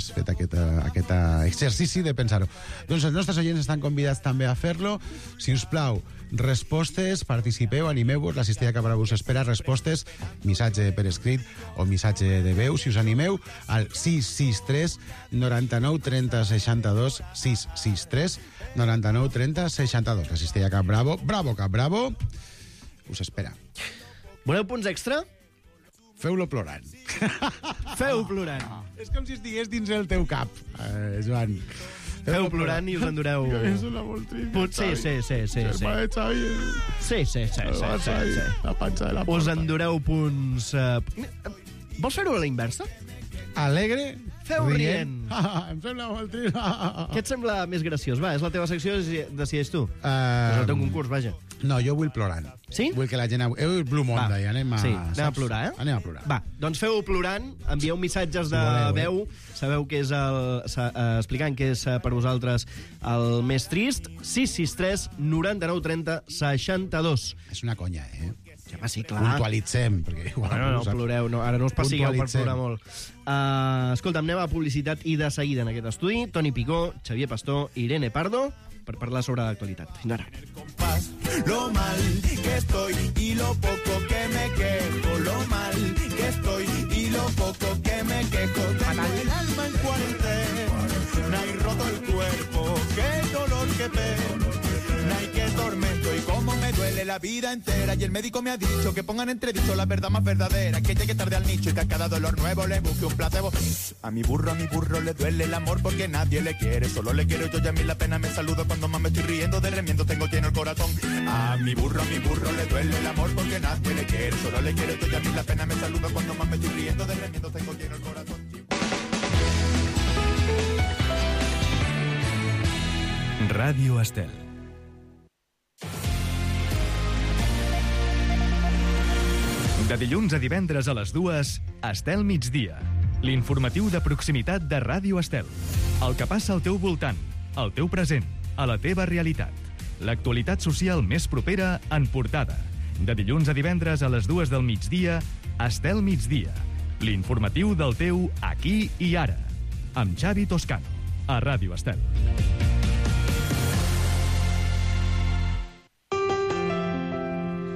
has fet aquest exercici de pensar-ho. Doncs els nostres oients estan convidats també a fer-lo. Si us plau, respostes, participeu, animeu-vos, la Cistella Cabra us espera, respostes, missatge per escrit o missatge de veu, si us animeu, al 663 99 30 62, 663 99 30 62. La Cistella Cap Bravo, bravo Cap Bravo, us espera. Voleu punts extra? Feu-lo plorant. Feu plorant. És com si estigués dins el teu cap, Joan. Feu plorant i us endureu... És una molt trista. Sí. Germà de Xavi. Sí. La panxa de la porta. Us endureu punts... Vols fer-ho a la inversa? Alegre. Feu rient. Em sembla molt trist. Què et sembla més graciós? Va, és la teva secció, decideix tu. És el teu concurs, vaja. No, jo vull plorant. Sí? Vull que la gent... Blue Monday, anem a... Sí, anem a plorar, eh? Anem a plorar. Va, doncs feu plorant, envieu missatges de veu, sabeu que és explicant que és per vosaltres el més trist, 663 99 30 62. És una conya, Ja va, sí, clar. Puntualitzem, perquè igual... No ploreu, no, ara no us passigueu per plorar molt. Escolta'm, anem a publicitat i de seguida en aquest estudi, Toni Picó, Xavier Pastor i Irene Pardo, per parlar sobre l'actualitat. Fins ara. Lo mal que estoy y lo poco que me quejo, lo mal que estoy y lo poco que me quejo. Tengo el alma en cuarentena y roto el cuerpo, qué dolor, qué pena y qué tormento y cómo me duele la vida entera. Y el médico me ha dicho que pongan entredicho la verdad más verdadera, que llegue tarde al nicho y que a cada dolor nuevo le busque un placebo. A mi burro le duele el amor porque nadie le quiere, solo le quiero yo y a mí la pena me saludo cuando más me estoy riendo de remiendo tengo lleno el corazón. A mi burro le duele el amor porque nadie le quiere, solo le quiero yo y a mí la pena me saludo cuando más me estoy riendo de remiendo tengo lleno el corazón. Ràdio Estel. De dilluns a divendres a les 2, Estel Migdia. L'informatiu de proximitat de Ràdio Estel. El que passa al teu voltant, al teu present, a la teva realitat. L'actualitat social més propera en portada. De dilluns a divendres a les 2 del migdia, Estel Migdia. L'informatiu del teu aquí i ara. Amb Xavi Toscano, a Ràdio Estel.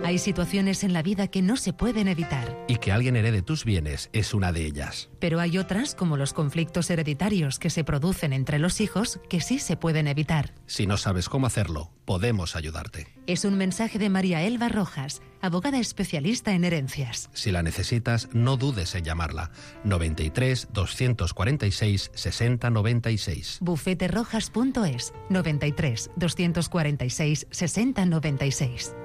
Hay situaciones en la vida que no se pueden evitar. Y que alguien herede tus bienes es una de ellas. Pero hay otras, como los conflictos hereditarios que se producen entre los hijos, que sí se pueden evitar. Si no sabes cómo hacerlo, podemos ayudarte. Es un mensaje de María Elba Rojas, abogada especialista en herencias. Si la necesitas, no dudes en llamarla. 93 246 60 96. Bufeterojas.es 93 246 60 96.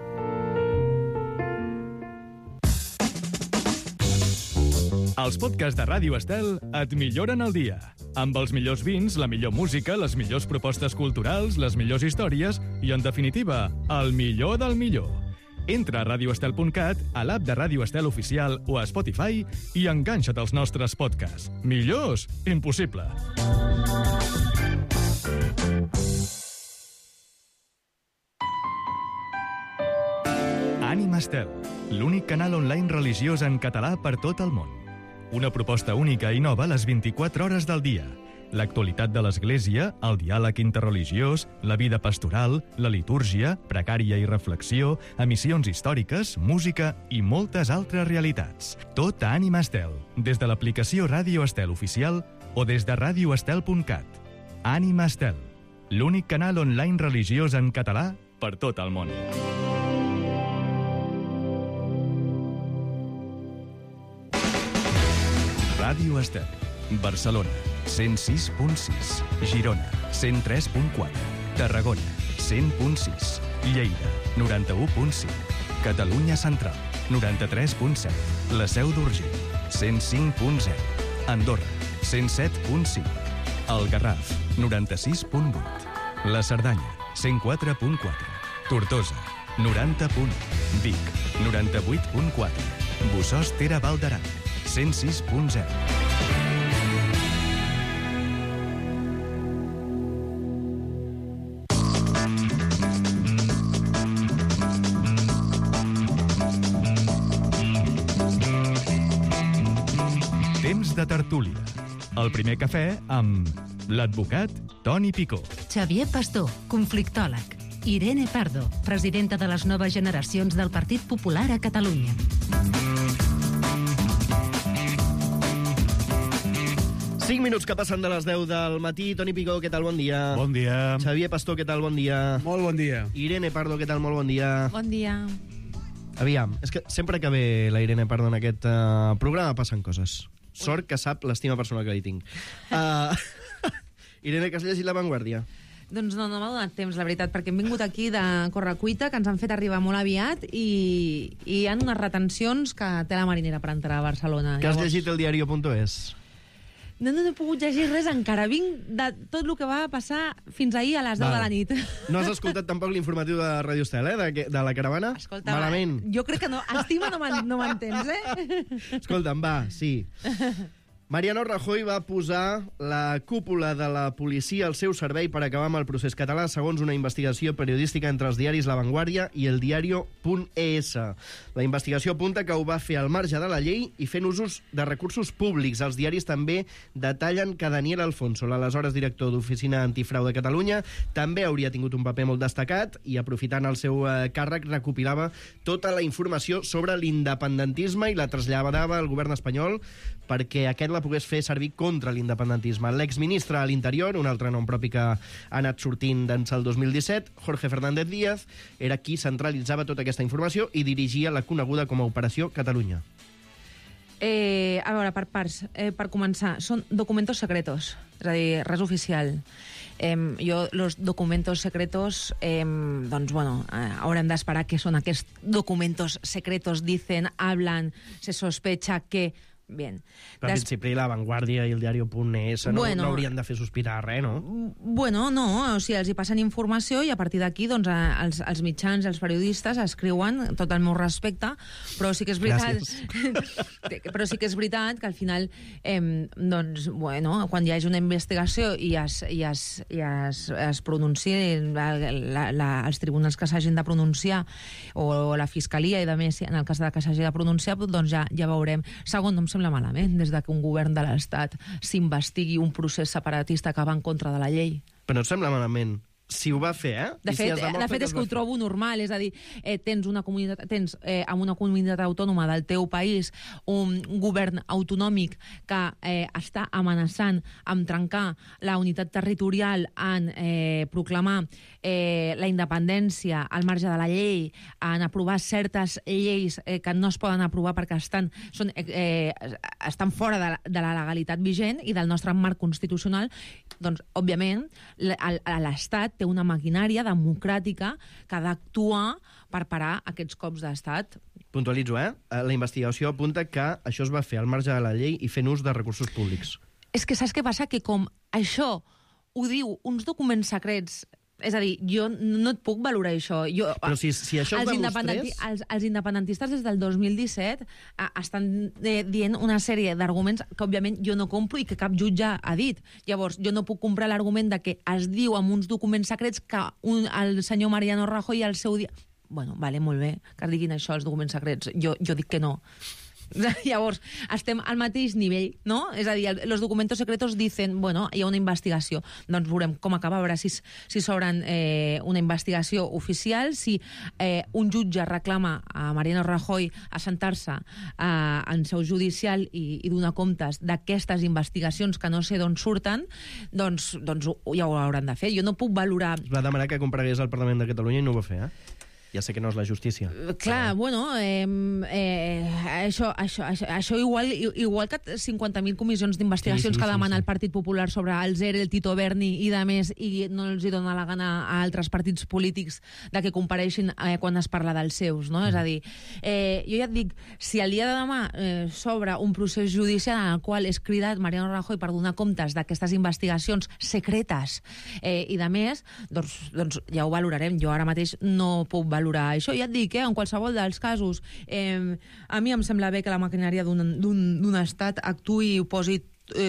Els podcasts de Ràdio Estel et milloren el dia. Amb els millors vins, la millor música, les millors propostes culturals, les millors històries i, en definitiva, el millor del millor. Entra a radioestel.cat, a l'app de Ràdio Estel Oficial o a Spotify i enganxa't als nostres podcasts. Millors? Impossible. Ànima Estel, l'únic canal online religiós en català per tot el món. Una proposta única i nova a les 24 hores del dia. L'actualitat de l'Església, el diàleg interreligiós, la vida pastoral, la litúrgia, precària i reflexió, emissions històriques, música i moltes altres realitats. Tot a Ànima Estel, des de l'aplicació Ràdio Estel Oficial o des de radioestel.cat. Ànima Estel, l'únic canal online religiós en català per tot el món. Ràdio Estel, Barcelona, 106.6, Girona, 103.4, Tarragona, 100.6, Lleida, 91.5, Catalunya Central, 93.7, la Seu d'Urgell, 105.0, Andorra, 107.5, el Garraf, 96.8, la Cerdanya, 104.4, Tortosa, 90.1, Vic, 98.4, Bossòst Tere Val d'Aran, 106.0. Temps de tertúlia. El primer cafè amb l'advocat Toni Picó. Xavier Pastor, conflictòleg. Irene Pardo, presidenta de les noves generacions del Partit Popular a Catalunya. Cinc minuts que passen de les 10 del matí. Toni Picó, què tal? Bon dia. Bon dia. Xavier Pastor, què tal? Bon dia. Molt bon dia. Irene Pardo, què tal? Molt bon dia. Bon dia. Aviam, és que sempre que ve la Irene Pardo en aquest programa passen coses. Sort que sap l'estima personal que li tinc. Irene, que has llegit La Vanguardia? Doncs no m'ha donat temps, la veritat, perquè hem vingut aquí de correcuita, que ens han fet arribar molt aviat, i hi ha unes retencions que té la marinera per entrar a Barcelona. Que has llegit el diario.es? No he pogut llegir res encara. Vinc de tot el que va passar fins ahir a les 10 de la nit. No has escoltat tampoc l'informatiu de Radio Estel, de la caravana? Escolta, malament. Jo crec que no. Estima no m'entens, Escolta'm, va, sí. Mariano Rajoy va posar la cúpula de la policia al seu servei per acabar amb el procés català, segons una investigació periodística entre els diaris La Vanguardia i el diario.es. La investigació apunta que ho va fer al marge de la llei i fent usos de recursos públics. Els diaris també detallen que Daniel Alfonso, l'aleshores director d'Oficina Antifrau de Catalunya, també hauria tingut un paper molt destacat i, aprofitant el seu càrrec, recopilava tota la informació sobre l'independentisme i la traslladava al govern espanyol perquè aquest la pogués fer servir contra l'independentisme. L'exministre a l'Interior, un altre nom propi que ha anat sortint d'ençà el 2017, Jorge Fernández Díaz, era qui centralitzava tota aquesta informació i dirigia la coneguda com a Operació Catalunya. A veure, per parts. Per començar, són documentos secretos, és a dir, res oficial. Los documentos secretos, doncs, bueno, haurem d'esperar què són aquests documentos secretos, dicen, hablan, se sospecha que... Bien. Però en principi La Vanguardia i el diario.es no haurien de fer sospirar res, no? Bueno, no, o sigui, els hi passen informació i a partir d'aquí doncs, els mitjans i els periodistes escriuen tot el meu respecte, però sí que és veritat però sí que és veritat que al final doncs, bueno, quan hi hagi una investigació i es pronunciï els tribunals que s'hagin de pronunciar o la fiscalia i de més, en el cas que s'hagi de pronunciar, doncs ja veurem. Segon, no em sembla malament des que un govern de l'Estat s'investigui un procés separatista que va en contra de la llei. Però no et sembla malament? Si ho va fer, De fet, és que ho trobo normal, és a dir, tens en una comunitat autònoma del teu país un govern autonòmic que està amenaçant amb trencar la unitat territorial, en proclamar la independència al marge de la llei, en aprovar certes lleis que no es poden aprovar perquè estan fora de la legalitat vigent i del nostre marc constitucional. Doncs, òbviament, l'Estat té una maquinària democràtica que ha d'actuar per parar aquests cops d'estat. Puntualitzo, La investigació apunta que això es va fer al marge de la llei i fent ús de recursos públics. És que saps què passa? Que com això ho diu uns documents secrets, és a dir, jo no et puc valorar això. Però si això ho demostrés... Els independentistes des del 2017 estan dient una sèrie d'arguments que, òbviament, jo no compro i que cap jutge ha dit. Llavors, jo no puc comprar l'argument de que es diu amb uns documents secrets que el senyor Mariano Rajoy al seu dia... Bueno, vale, molt bé, que diguin això, els documents secrets. Jo dic que no. Llavors, estem al mateix nivell, no? És a dir, els documentos secretos dicen, bueno, hi ha una investigació. Doncs veurem com acaba, a veure si s'obren una investigació oficial, si un jutge reclama a Mariano Rajoy assentar-se en seu judicial i donar comptes d'aquestes investigacions que no sé d'on surten, doncs ja ho hauran de fer. Jo no puc valorar... Es va demanar que comparegués al Parlament de Catalunya i no ho va fer, Ja sé que no és la justícia. Clar, bueno, això igual que 50.000 comissions d'investigacions que demana el Partit Popular sobre el ZERE, el Tito Berni i de més, i no els hi dona la gana a altres partits polítics de que compareixin quan es parla dels seus, no? És a dir, jo ja et dic, si el dia de demà s'obre un procés judicial en el qual és cridat Mariano Rajoy per donar comptes d'aquestes investigacions secretes i de més, doncs ja ho valorarem. Jo ara mateix no puc valorar això. Ja et dic, en qualsevol dels casos, a mi em sembla bé que la maquinària d'un estat actuï i posi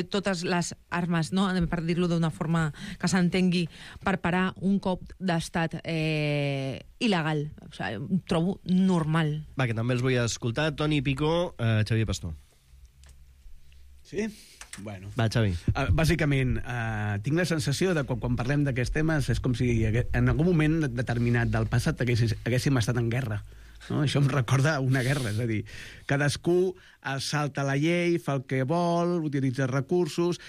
totes les armes, no? Per dir-lo d'una forma que s'entengui, per parar un cop d'estat il·legal. O sigui, ho trobo normal. Va, que també els vull escoltar. Toni Picó, Xavier Pastor. Sí? Bueno. Va, Xavi. Bàsicament, tinc la sensació de que quan parlem d'aquests temes és com si en algun moment determinat del passat haguéssim estat en guerra. No? Això em recorda una guerra, és a dir, cadascú salta la llei, fa el que vol, utilitza recursos...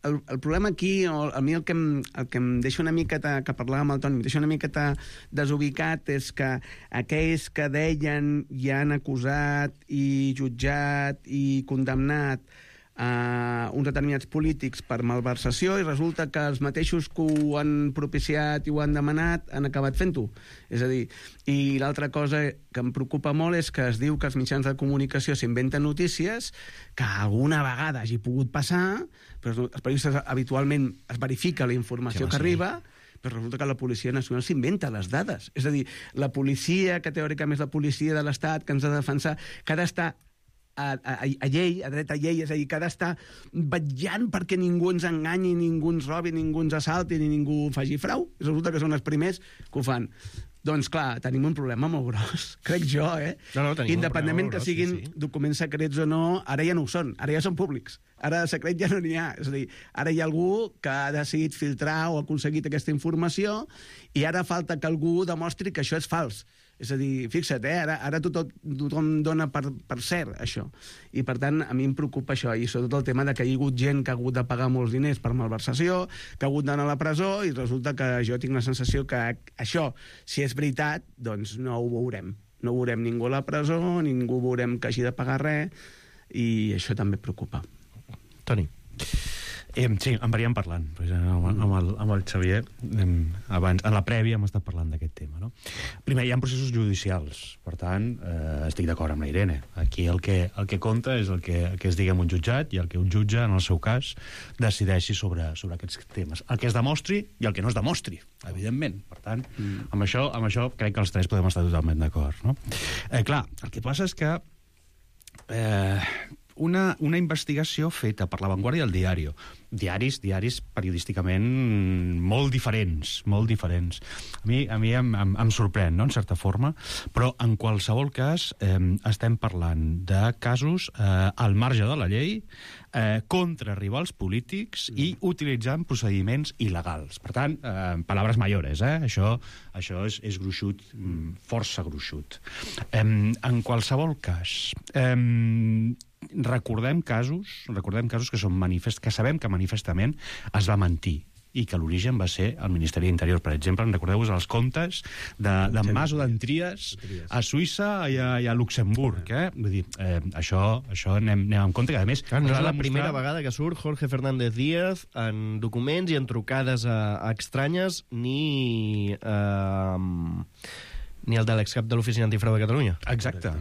El problema aquí, a mi el que em deixa una miqueta, que parlàvem amb el Toni, em deixa una miqueta desubicat és que aquells que deien i han acusat i jutjat i condemnat uns determinats polítics per malversació i resulta que els mateixos que ho han propiciat i ho han demanat han acabat fent-ho. És a dir, i l'altra cosa que em preocupa molt és que es diu que els mitjans de comunicació s'inventen notícies que alguna vegada hagi pogut passar, però els periodistes habitualment es verifica la informació que arriba, però resulta que la Policia Nacional s'inventa les dades. És a dir, la policia, que teòricament és la policia de l'Estat, que ens ha de defensar, que ha d'estar a llei, a dret a llei, és a dir, que ha d'estar vetllant perquè ningú ens enganyi, ningú ens robi, ningú ens assalti, ni ningú faci frau. Resulta que són els primers que ho fan. Doncs clar, tenim un problema molt gros, crec jo, No, independentment que siguin documents secrets o no, ara ja no ho són, ara ja són públics. Ara de secret ja no n'hi ha. És a dir, ara hi ha algú que ha decidit filtrar o ha aconseguit aquesta informació i ara falta que algú demostri que això és fals. És a dir, fixa't, ara tothom dona per cert això. I, per tant, a mi em preocupa això, i sobretot el tema de que hi ha hagut gent que ha hagut de pagar molts diners per malversació, que ha hagut d'anar a la presó, i resulta que jo tinc la sensació que això, si és veritat, doncs no ho veurem. No veurem ningú a la presó, ningú veurem que hagi de pagar res, i això també preocupa. Toni. Sí, en veníem parlant amb el Xavier abans, en la prèvia hem estat parlant d'aquest tema, no? Primer, hi ha processos judicials, per tant estic d'acord amb la Irene, aquí el que compta és el que es digui en un jutjat i el que un jutge, en el seu cas, decideixi sobre aquests temes, el que es demostri i el que no es demostri, evidentment. Per tant, amb això crec que els tres podem estar totalment d'acord, no? Clar, el que passa és que una investigació feta per La Vanguardia i El Diario, diaris periodísticament molt diferents. A mi em sorprèn, no?, en certa forma, però en qualsevol cas estem parlant de casos al marge de la llei, contra rivals polítics i utilitzant procediments il·legals. Per tant, paraules mayores, això és gruixut, força gruixut. En qualsevol cas, recordem casos que són manifests, que sabem que manifestament es va mentir i que l'origen va ser el Ministeri d'Interior. Per exemple, recordeu-vos els comptes d'en Mas o d'en Trias a Suïssa i a Luxemburg. Vull dir, això anem en compte, que a més... No és la primera vegada que surt Jorge Fernández Díaz en documents i en trucades estranyes ni el de l'excap de l'Oficina Antifrau de Catalunya. Exacte.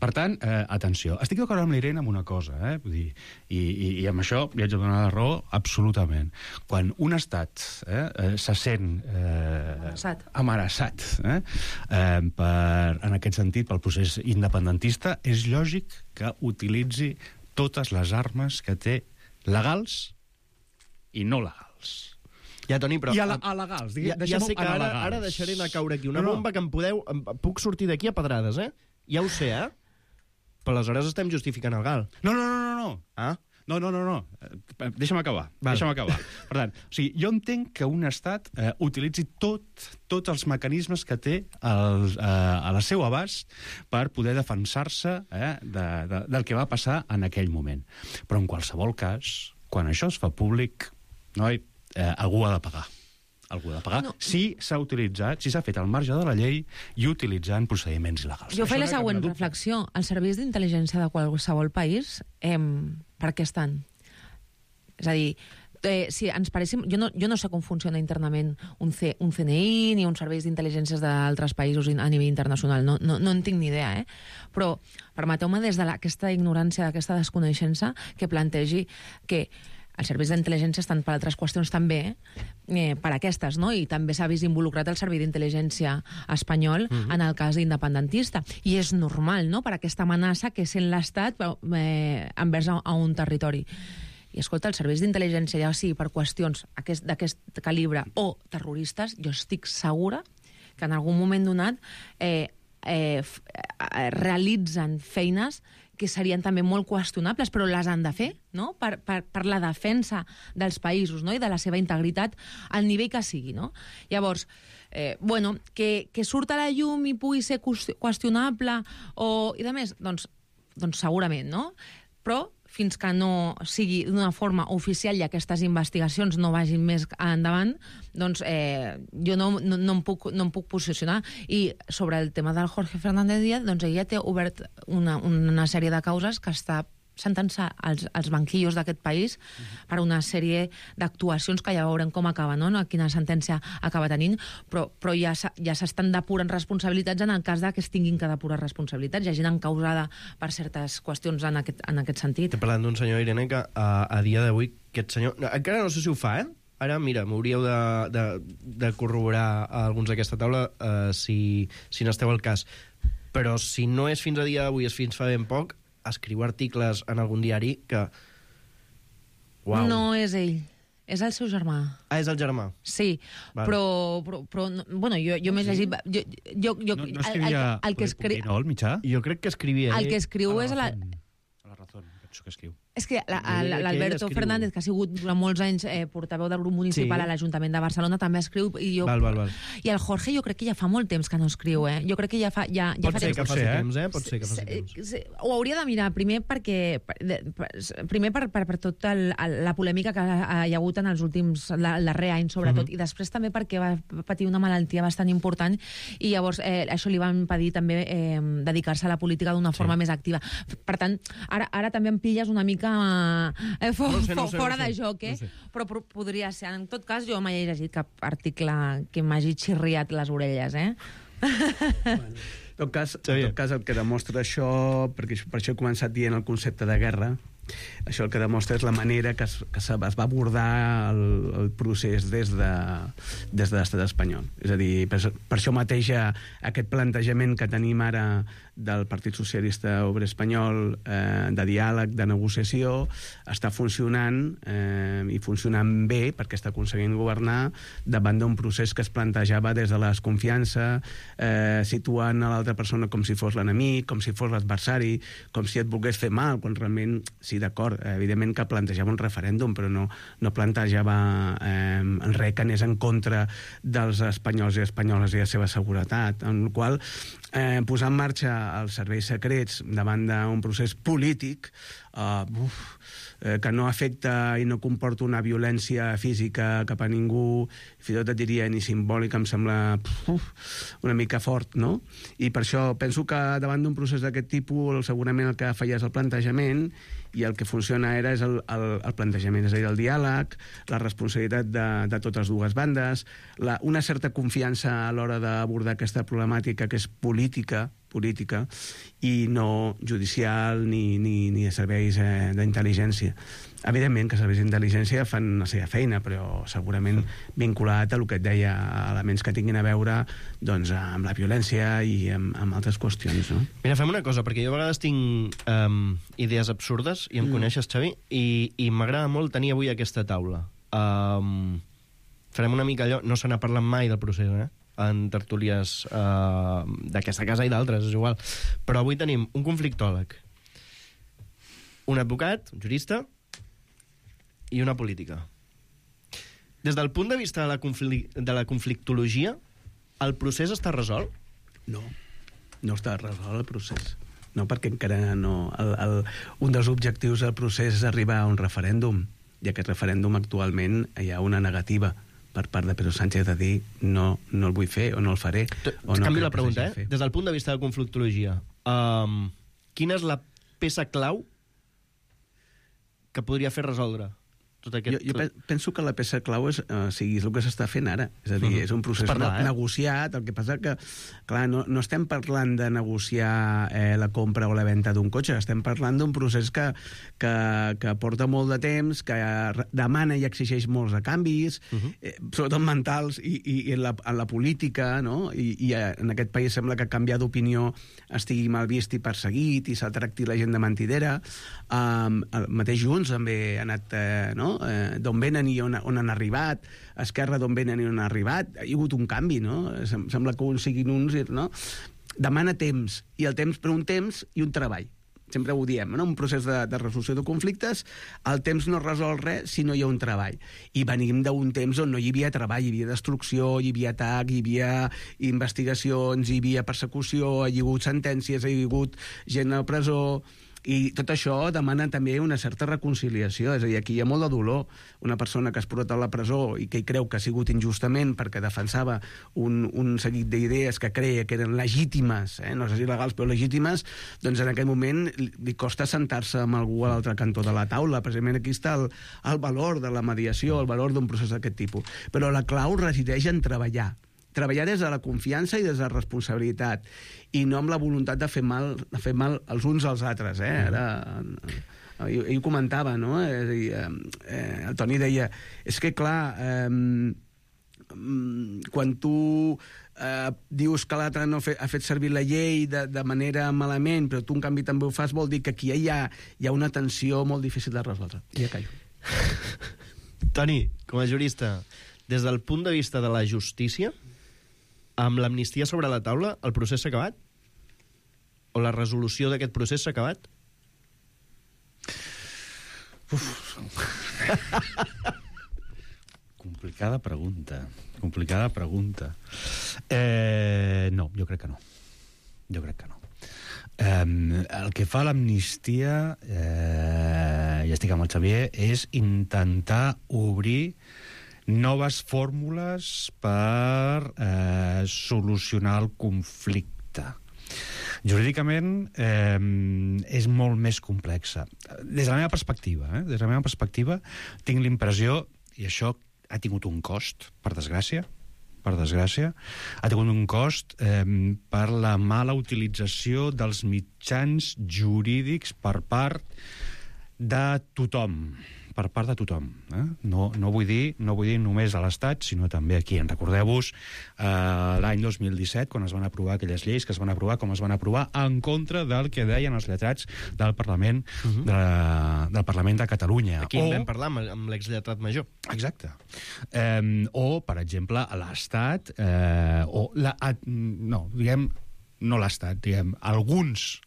Per tant, atenció. Estic d'acord amb l'Irene amb una cosa, vull dir, i amb això li haig de donar la raó absolutament. Quan un estat se sent amenaçat en aquest sentit pel procés independentista, és lògic que utilitzi totes les armes que té legals i no legals. Ja, Toni, però... I alegals. Ja sé que ara deixaré anar caure aquí una bomba que em puc sortir d'aquí a pedrades, Ja ho sé, Però aleshores estem justificant el GAL. No. Ah? No. Deixa'm acabar. Per tant, o sigui, jo entenc que un estat utilitzi tots els mecanismes que té a la seu abast per poder defensar-se del que va passar en aquell moment. Però en qualsevol cas, quan això es fa públic, algú ha de pagar. No. Si s'ha utilitzat, si s'ha fet al marge de la llei i utilitzant procediments il·legals. Jo faig la següent reflexió. Els serveis d'intel·ligència de qualsevol país, per què estan? És a dir, si ens paréssim... Jo no sé com funciona internament un CNI ni uns serveis d'intel·ligències d'altres països a nivell internacional. No en tinc ni idea, Però permeteu-me des d'aquesta ignorància, d'aquesta desconeixença, que plantegi que els serveis d'intel·ligència estan per altres qüestions també, per aquestes, no? I també s'ha vist involucrat el servei d'intel·ligència espanyol en el cas independentista. I és normal, no?, per aquesta amenaça que sent l'Estat envers a un territori. I escolta, els serveis d'intel·ligència, ja sigui per qüestions d'aquest calibre o terroristes, jo estic segura que en algun moment donat realitzen feines que serien també molt qüestionables, però les han de fer, no? Per la defensa dels països, no? I de la seva integritat al nivell que sigui, no? Llavors, que surt a la llum i pugui ser qüestionable i de més, doncs segurament, no? Però fins que no sigui d'una forma oficial i aquestes investigacions no vagin més endavant, doncs jo no em puc posicionar. I sobre el tema del Jorge Fernández Díaz, doncs ella té obert una sèrie de causes que està sentant-se als banquillos d'aquest país per una sèrie d'actuacions que ja veurem com acaba, no? Quina sentència acaba tenint, però ja s'estan depurant responsabilitats en el cas que es tinguin que depurar responsabilitats. Hi ha gent encausada per certes qüestions en aquest sentit. Estic parlant d'un senyor, Irene, que a dia d'avui aquest senyor... Encara no sé si ho fa, Ara, mira, m'hauríeu de corroborar alguns d'aquesta taula si n'esteu al cas. Però si no és fins a dia d'avui, és fins fa ben poc, escriu articles en algun diari que... Uau. No és ell, és el seu germà. Ah, és el germà? Sí, vale. Però bueno, jo m'he llegit... No escrivia Pupinol, mitjà? Jo crec que escrivia ell. El que escriu és... A la Razón, penso que escriu. És que l'Alberto Fernández, que ha sigut durant molts anys portaveu del grup municipal a l'Ajuntament de Barcelona, també escriu. I el Jorge jo crec que ja fa molt temps que no escriu, Jo crec que ja fa temps. Pot ser que faci temps. Ho hauria de mirar, primer per tota la polèmica que hi ha hagut en els últims, el darrer any, sobretot, i després també perquè va patir una malaltia bastant important i llavors això li va impedir també dedicar-se a la política d'una forma més activa. Per tant, ara també em pilles una mica fora de joc, però podria ser. En tot cas, jo mai he llegit cap article que m'hagi xirriat les orelles, En tot cas, el que demostra això, perquè per això he començat dient el concepte de guerra, això el que demostra és la manera que es va abordar el procés des de l'estat espanyol. És a dir, per això mateix aquest plantejament que tenim ara del Partit Socialista Obrer Espanyol de diàleg, de negociació, està funcionant i funcionant bé perquè està aconseguint governar davant d'un procés que es plantejava des de la desconfiança, situant a l'altra persona com si fos l'enemic, com si fos l'adversari, com si et volgués fer mal, quan realment, sí, d'acord, evidentment que plantejava un referèndum, però no plantejava res que anés en contra dels espanyols i espanyoles i la seva seguretat, en el qual posar en marxa els serveis secrets davant d'un procés polític que no afecta i no comporta una violència física cap a ningú, fins i tot et diria ni simbòlica, em sembla una mica fort, no? I per això penso que davant d'un procés d'aquest tipus segurament el que falla és el plantejament i el que funciona és el plantejament, és a dir, el diàleg, la responsabilitat de totes dues bandes, una certa confiança a l'hora d'abordar aquesta problemàtica que és política i no judicial ni de serveis d'intel·ligència. Evidentment que els serveis d'intel·ligència fan la seva feina, però segurament vinculat a el que et deia, a elements que tinguin a veure doncs, amb la violència i amb altres qüestions. No? Mira, fem una cosa, perquè jo a vegades tinc idees absurdes, i em coneixes, Xavi, i m'agrada molt tenir avui aquesta taula. Farem una mica allò, no se n'ha parlat mai del procés, en tertúlies d'aquesta casa i d'altres, és igual. Però avui tenim un conflictòleg, un advocat, un jurista, i una política. Des del punt de vista de la conflictologia, el procés està resolt? No està resolt el procés. No, perquè encara no... Un dels objectius del procés és arribar a un referèndum, i aquest referèndum actualment hi ha una negativa per part de Pedro Sánchez de dir no el vull fer o no el faré. Canvio la pregunta, Des del punt de vista de la conflictologia, quina és la peça clau que podria fer resoldre tot aquest... Jo penso que la peça clau és el que s'està fent ara. És a dir, és un procés negociat. El que passa que, clar, no estem parlant de negociar la compra o la venda d'un cotxe, estem parlant d'un procés que porta molt de temps, que demana i exigeix molts de canvis, sobretot mentals i en la política, no? I en aquest país sembla que canviar d'opinió estigui mal vist i perseguit, i s'ha tractat la gent de mentidera. El mateix Junts també ha anat... d'on venen i on han arribat, Esquerra d'on venen i on han arribat, hi ha hagut un canvi, no? Sembla que uns siguin uns, no? Demana temps, i el temps per un temps i un treball. sempre ho diem, no? Un procés de resolució de conflictes, el temps no resol res si no hi ha un treball. I venim d'un temps on no hi havia treball, hi havia destrucció, hi havia atac, hi havia investigacions, hi havia persecució, hi ha hagut sentències, hi ha hagut gent a presó... I tot això demana també una certa reconciliació, és a dir, aquí hi ha molt de dolor. Una persona que es porta a la presó i que hi creu que ha sigut injustament perquè defensava un seguit d'idees que creia que eren legítimes, no sé si legals però legítimes, doncs en aquest moment li costa sentar-se amb algú a l'altre cantó de la taula. Precisament aquí està el valor de la mediació, el valor d'un procés d'aquest tipus. Però la clau resideix en treballar des de la confiança i des de la responsabilitat, i no amb la voluntat de fer mal els uns als altres. Ara, ell ho comentava, no? És a dir, el Toni deia, és que clar, quan tu dius que l'altre no ha fet servir la llei de manera malament, però tu en canvi també ho fas, vol dir que aquí hi ha una tensió molt difícil de resoldre. I ja callo. Toni, com a jurista, des del punt de vista de la justícia, amb l'amnistia sobre la taula, el procés s'ha acabat? O la resolució d'aquest procés s'ha acabat? Complicada pregunta. No, jo crec que no. El que fa l'amnistia, ja estic amb el Xavier, és intentar obrir noves fórmules per solucionar el conflicte. Jurídicament és molt més complexa. Des de la meva perspectiva, tinc l'impressió, i això ha tingut un cost, per desgràcia, ha tingut un cost per la mala utilització dels mitjans jurídics per part de tothom. No vull dir només a l'Estat, sinó també aquí. Recordeu-vos l'any 2017, quan es van aprovar aquelles lleis que es van aprovar com es van aprovar en contra del que deien els lletrats del Parlament del Parlament de Catalunya. Aquí en vam parlar amb l'exlletrat major. Exacte. O, per exemple, a l'Estat, no l'Estat, diguem, algunes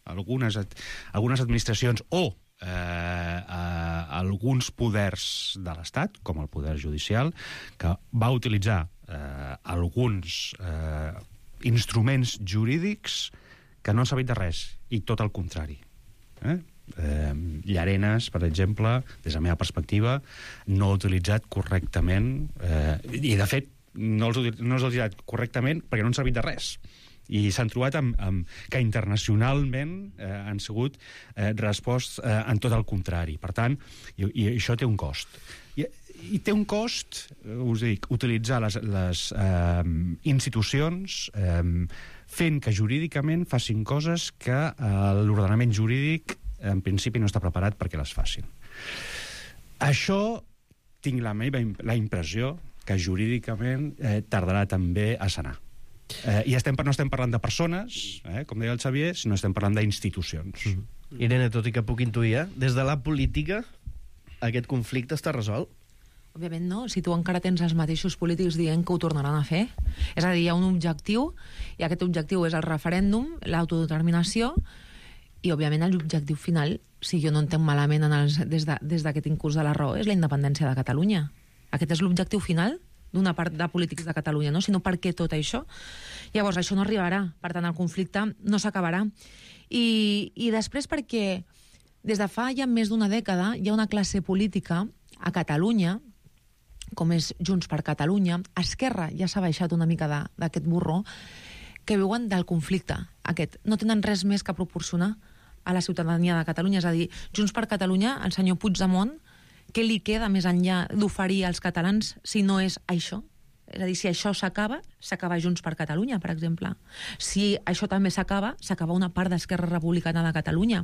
administracions o alguns poders de l'Estat, com el poder judicial, que va utilitzar alguns instruments jurídics que no han servit de res, i tot el contrari. Llarenas, per exemple, des de la meva perspectiva, no ha utilitzat correctament, i de fet no els ha utilitzat correctament perquè no han servit de res. I s'han trobat que internacionalment han sigut resposts en tot el contrari. Per tant, i això té un cost. I té un cost, us dic, utilitzar les institucions fent que jurídicament facin coses que l'ordenament jurídic en principi no està preparat perquè les facin. Això tinc la impressió que jurídicament tardarà també a sanar. I no estem parlant de persones, com deia el Xavier, sinó estem parlant d'institucions. Irene, tot i que puc intuir, des de la política aquest conflicte està resolt? Òbviament no, si tu encara tens els mateixos polítics dient que ho tornaran a fer. És a dir, hi ha un objectiu, i aquest objectiu és el referèndum, l'autodeterminació, i òbviament l'objectiu final, si jo no entenc malament des d'aquest incurs de la raó, és la independència de Catalunya. Aquest és l'objectiu final d'una part de polítics de Catalunya, no? Sinó per què tot això? Llavors, això no arribarà. Per tant, el conflicte no s'acabarà. I després perquè des de fa ja més d'una dècada hi ha una classe política a Catalunya, com és Junts per Catalunya, Esquerra ja s'ha baixat una mica d'aquest burro, que viuen del conflicte aquest. No tenen res més que proporcionar a la ciutadania de Catalunya. És a dir, Junts per Catalunya, el senyor Puigdemont, què li queda més enllà d'oferir als catalans si no és això? És a dir, si això s'acaba Junts per Catalunya, per exemple. Si això també s'acaba una part d'Esquerra Republicana de Catalunya.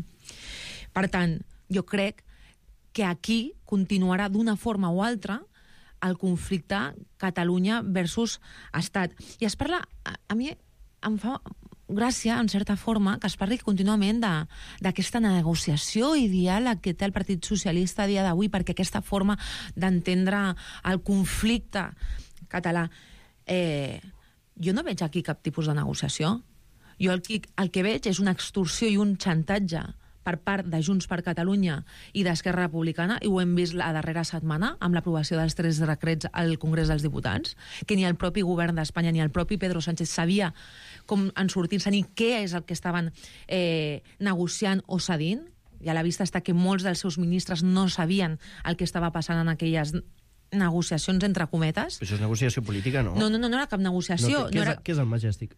Per tant, jo crec que aquí continuarà d'una forma o altra el conflicte Catalunya versus Estat. I es parla... A mi em fa gràcia, en certa forma, que es parli contínuament d'aquesta negociació i diàleg que té el Partit Socialista a dia d'avui, perquè aquesta forma d'entendre el conflicte català... Jo no veig aquí cap tipus de negociació. Jo el que veig és una extorsió i un xantatge per part de Junts per Catalunya i d'Esquerra Republicana, i ho hem vist la darrera setmana amb l'aprovació dels 3 decrets al Congrés dels Diputats, que ni el propi govern d'Espanya ni el propi Pedro Sánchez sabia com en sortir-se ni què és el que estaven negociant o cedint, i a la vista està que molts dels seus ministres no sabien el que estava passant en aquelles negociacions entre cometes. Però això és negociació política, no? No era cap negociació. Què és el Majestic?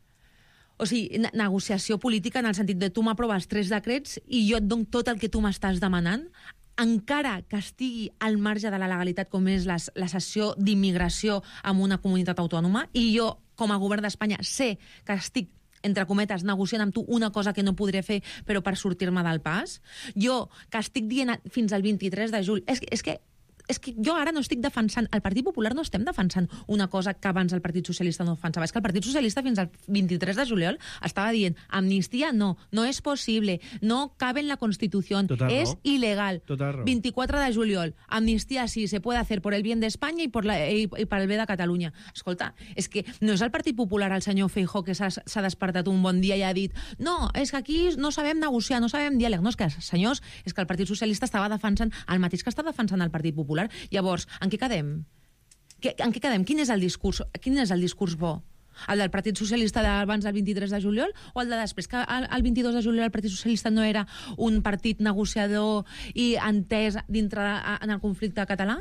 O sigui, negociació política en el sentit de tu m'aproves 3 decrets i jo et dono tot el que tu m'estàs demanant, encara que estigui al marge de la legalitat, com és la cessió d'immigració en una comunitat autònoma, i jo, com a govern d'Espanya, sé que estic entre cometes, negociant amb tu una cosa que no podré fer, però per sortir-me del pas. Jo, que estic dient fins al 23 de juny... És que jo ara no estic defensant... El Partit Popular no estem defensant una cosa que abans el Partit Socialista no defensava. És que el Partit Socialista fins al 23 de juliol estava dient amnistia no es possible, no cabe en la Constitución, es ilegal. 24 de juliol, amnistia sí, se puede hacer por el bien de España y para el bé de Catalunya. Escolta, és que no és el Partit Popular, el senyor Feijóo, que s'ha despertat un bon dia i ha dit no, és que aquí no sabem negociar, no sabem diàleg. No, és que, senyors, és que el Partit Socialista estava defensant el mateix que està defensant el Partit Popular. Llavors, en què quedem? En què quedem? Quin és el discurs bo? El del Partit Socialista d'abans del 23 de juliol o el de després? Que el 22 de juliol el Partit Socialista no era un partit negociador i entès dintre en el conflicte català?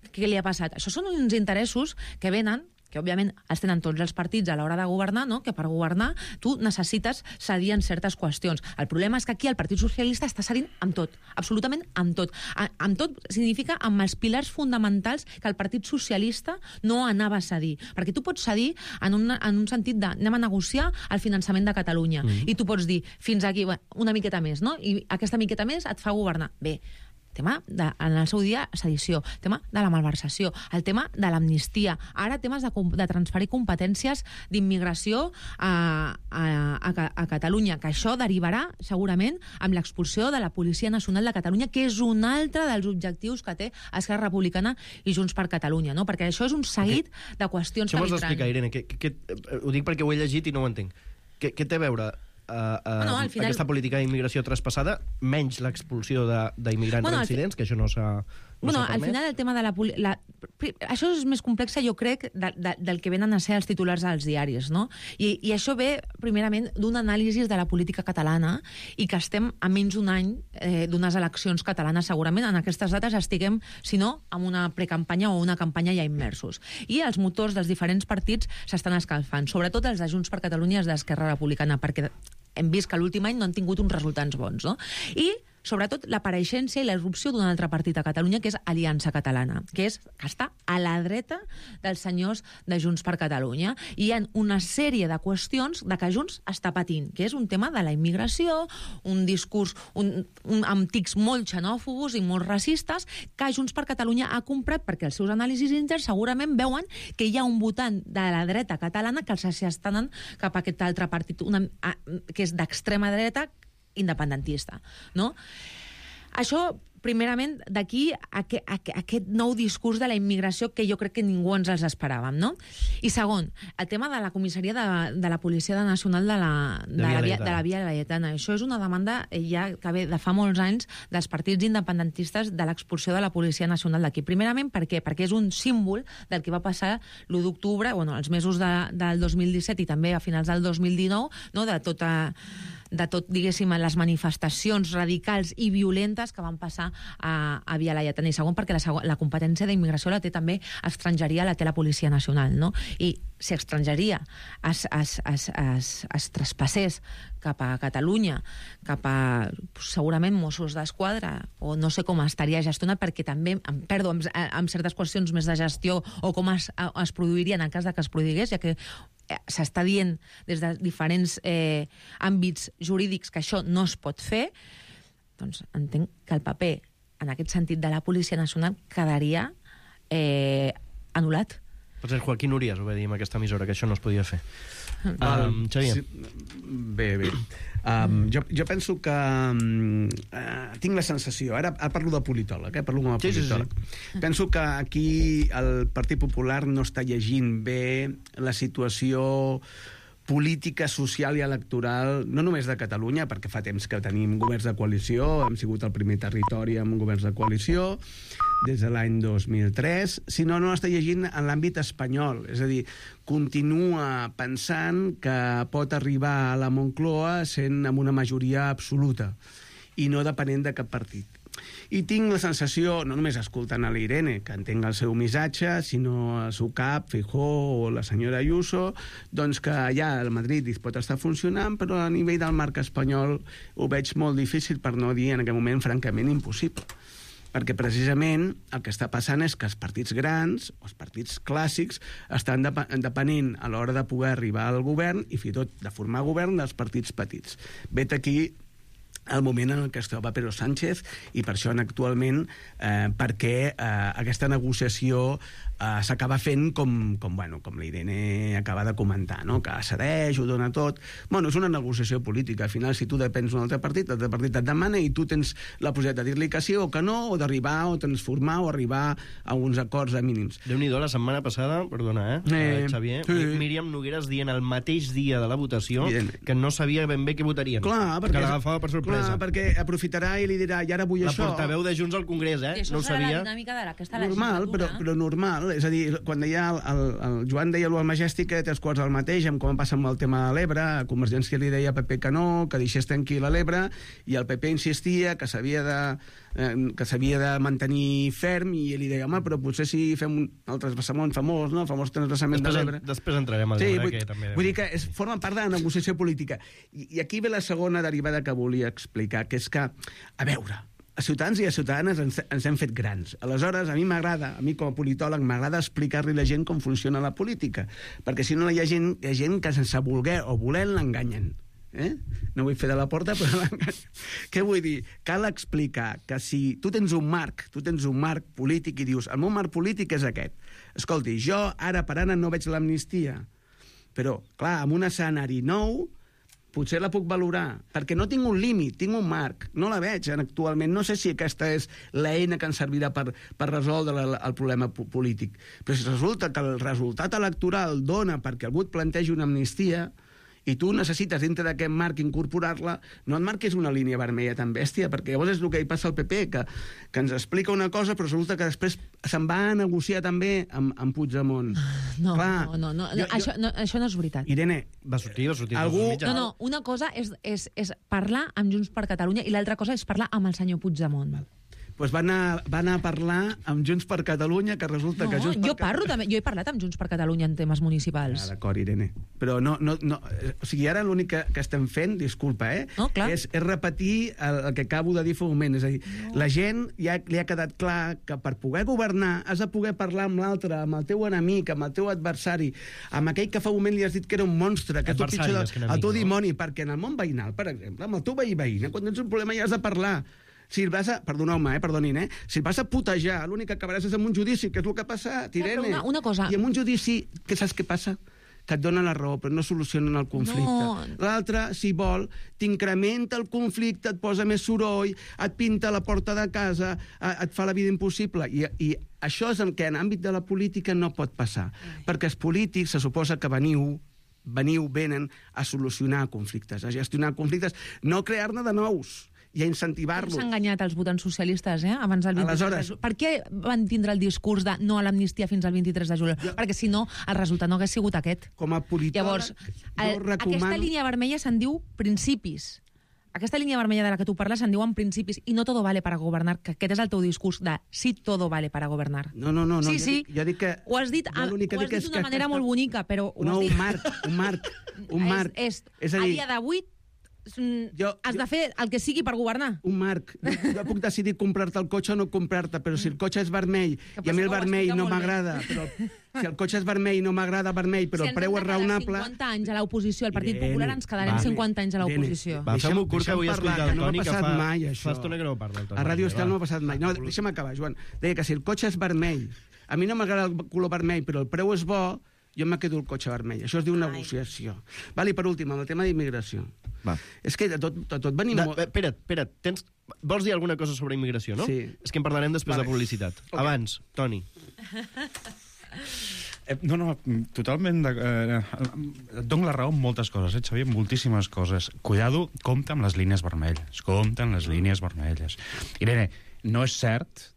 Què li ha passat? Això són uns interessos que venen, que òbviament els tenen tots els partits a l'hora de governar, no? Que per governar tu necessites cedir en certes qüestions. El problema és que aquí el Partit Socialista està cedint amb tot, absolutament amb tot. Amb tot significa amb els pilars fonamentals que el Partit Socialista no anava a cedir. Perquè tu pots cedir en un sentit de anem a negociar el finançament de Catalunya i tu pots dir fins aquí una miqueta més, no? I aquesta miqueta més et fa governar. Bé, tema en el seu dia sedició, tema de la malversació, el tema de l'amnistia, ara temes de transferir competències d'immigració a Catalunya, que això derivarà segurament amb l'expulsió de la Policia Nacional de Catalunya, que és un altre dels objectius que té Esquerra Republicana i Junts per Catalunya, no? Perquè això és un seguit de qüestions que vindran. Això m'ho has d'explicar, Irene, ho dic perquè ho he llegit i no ho entenc. Què té a veure al final... aquesta política d'immigració traspassada, menys l'expulsió d'immigrants reincidents, que això no s'ha al final el tema de això és més complex, jo crec, del que venen a ser els titulars dels diaris, no? I això ve, primerament, d'un anàlisi de la política catalana i que estem a menys d'un any d'unes eleccions catalanes, segurament. En aquestes dates estiguem, si no, amb una precampanya o una campanya ja immersos. I els motors dels diferents partits s'estan escalfant, sobretot els de Junts per Catalunya i els d'Esquerra Republicana, perquè hem vist que l'últim any no han tingut uns resultats bons, no? I sobretot l'apareixença i l'erupció d'un altre partit a Catalunya, que és Aliança Catalana, que està a la dreta dels senyors de Junts per Catalunya. I hi ha una sèrie de qüestions de que Junts està patint, que és un tema de la immigració, un discurs amb tics molt xenòfobos i molt racistes, que Junts per Catalunya ha comprat perquè els seus anàlisis interns segurament veuen que hi ha un votant de la dreta catalana que els estan cap a aquest altre partit, que és d'extrema dreta, independentista, no? Això, primerament, d'aquí aquest nou discurs de la immigració que jo crec que ningú ens els esperàvem, no? I segon, el tema de la comissaria de la Policia Nacional de la Via Laietana. Això és una demanda ja que ve de fa molts anys dels partits independentistes de l'expulsió de la Policia Nacional d'aquí. Primerament, per què? Perquè és un símbol del que va passar l'1 d'octubre, els mesos del 2017 i també a finals del 2019, no? de tot, diguéssim, les manifestacions radicals i violentes que van passar a Via Laietana. I segon, perquè la competència d'immigració la té també Estrangeria, la té la Policia Nacional, no? I si Estrangeria es traspassés cap a Catalunya, cap a segurament Mossos d'Esquadra, o no sé com estaria gestionat, perquè també em perdo amb certes qüestions més de gestió o com es produiria en el cas de que es produís, ja que s'està dient des de diferents àmbits jurídics que això no es pot fer, doncs entenc que el paper, en aquest sentit, de la Policia Nacional quedaria anul·lat. Per cert, Joaquín Urías ho va dir en aquesta emissora, que això no es podia fer. Xavier. Bé. Jo penso que tinc la sensació, ara parlo de politòleg, parlo com a politòleg. Sí. Penso que aquí el Partit Popular no està llegint bé la situació política social i electoral, no només de Catalunya, perquè fa temps que tenim governs de coalició, hem sigut el primer territori amb governs de coalició, des de l'any 2003, sinó no està llegint en l'àmbit espanyol. És a dir, continua pensant que pot arribar a la Moncloa sent amb una majoria absoluta i no depenent de cap partit. I tinc la sensació, no només escoltant a l'Irene, que entenc el seu missatge, sinó el seu cap, Feijóo o la senyora Ayuso, doncs que ja el Madrid pot estar funcionant, però a nivell del marc espanyol ho veig molt difícil, per no dir en aquest moment francament impossible. Perquè precisament el que està passant és que els partits grans, els partits clàssics, estan depenent a l'hora de poder arribar al govern i fins i tot de formar govern dels partits petits. Vet aquí el moment en què es troba Pedro Sánchez i per això actualment perquè aquesta negociació s'acaba fent com l'Irene acaba de comentar, no? Que cedeix, ho dona tot. Bueno, és una negociació política. Al final, si tu depens d'un altre partit et demana i tu tens la possibilitat de dir-li que sí o que no, o d'arribar o transformar o arribar a uns acords mínims. Déu-n'hi-do, la setmana passada, perdona, Xavier, Míriam Nogueras dient el mateix dia de la votació que no sabia ben bé què votarien. Clar, que l'agafava per sorpresa. Clar, perquè aprofitarà i li dirà, i ara vull això. La portaveu de Junts al Congrés, I això no ho serà sabia. la dinàmica d'aquesta normal, legislatura. però normal. És a dir, quan deia el Joan deia al Majestic que té els quarts al mateix, com passa amb el tema de l'Ebre, a Convergència li deia a PP que no, que deixés tranquil a l'Ebre, i el PP insistia que s'havia de mantenir ferm, i ell li deia, home, però potser si fem un transvasament famós, no? El famós transvasament de l'Ebre. Després entrarem al l'Ebre, que també... Vull dir que forma part de la negociació política. I aquí ve la segona derivada que volia explicar, que és que, a veure, a ciutadans i a ciutadanes ens hem fet grans. Aleshores, a mi com a politòleg m'agrada explicar-li a la gent com funciona la política, perquè si no hi ha gent que sense voler o volent l'enganyen. No vull fer de la porta, però l'enganyen. Què vull dir? Cal explicar que si tu tens un marc polític i dius, el meu marc polític és aquest. Escolti, jo ara per ara no veig l'amnistia, però, clar, amb un escenari nou potser la puc valorar, perquè no tinc un límit, tinc un marc, no la veig actualment, no sé si aquesta és l'eina que ens servirà per resoldre el problema polític. Però si resulta que el resultat electoral dona perquè algú et plantegi una amnistia i tu necessites dintre d'aquest marc incorporar-la, no et marquis una línia vermella tan bèstia, perquè llavors és el que hi passa al PP, que ens explica una cosa, però resulta que després se'n va a negociar també amb Puigdemont. No, això no és veritat. Irene, va sortir. No, una cosa és parlar amb Junts per Catalunya i l'altra cosa és parlar amb el senyor Puigdemont. Doncs va anar a parlar amb Junts per Catalunya, que resulta que Junts per Catalunya... Jo he parlat amb Junts per Catalunya en temes municipals. D'acord, Irene. Però no... O sigui, ara l'únic que estem fent, disculpa, és repetir el que acabo de dir fa un moment. És a dir, la gent ja li ha quedat clar que per poder governar has de poder parlar amb l'altre, amb el teu enemic, amb el teu adversari, amb aquell que fa un moment li has dit que era un monstre, que és el teu dimoni, perquè en el món veïnal, per exemple, amb el teu veïna, quan tens un problema ja has de parlar. Si vas a... Perdonin, si vas a putejar, l'únic que acabaràs és amb un judici, que és el que ha passat, Irene. Una cosa... I amb un judici, que saps què passa? Que et donen la raó, però no solucionen el conflicte. No. L'altre, si vol, t'incrementa el conflicte, et posa més soroll, et pinta la porta de casa, et fa la vida impossible. I això és el que en àmbit de la política no pot passar. Perquè els polítics se suposa que venen a solucionar conflictes, a gestionar conflictes, no crear-ne de nous i a incentivar-los. S'ha enganyat els votants socialistes, abans del 23 de juliol. Per què van tindre el discurs de no a l'amnistia fins al 23 de juliol? Perquè si no, el resultat no hagués sigut aquest. Com a politòleg, llavors, aquesta línia vermella se'n diu principis. Aquesta línia vermella de la que tu parles se'n diuen principis i no todo vale para gobernar, que aquest és el teu discurs de sí, todo vale para gobernar. No. Sí. Jo dic que... Ho has dit d'una manera molt bonica, però... No, un marc. És a dir, a dia d'avui has de fer el que sigui per governar. Un marc. Jo puc decidir comprar-te el cotxe o no comprar-te, però si el cotxe és vermell i a mi el vermell no m'agrada, però si el cotxe és vermell i no m'agrada vermell, però el preu és raonable... Si ens hem de quedar 50 anys a l'oposició, el Partit Popular ens quedarem 50 anys a l'oposició. Fem-ho curt, que vull explicar el Toni, que fa estona que no parla el Toni. A Ràdio Estel no ha passat mai. No, deixa'm acabar, Joan. Deia que si el cotxe és vermell, a mi no m'agrada el color vermell, però el preu és bo, jo me quedo el cotxe vermell. Això es diu negociació. Val, i per últim, el tema d'immigració. És que de tot venim... Espera't, vols dir alguna cosa sobre immigració, no? Sí. És que en parlarem després de publicitat. Abans, Toni. No, totalment... Et dono la raó en moltes coses, Xavier, moltíssimes coses. Cuidado, compta amb les línies vermelles. Compta amb les línies vermelles. Irene, no és cert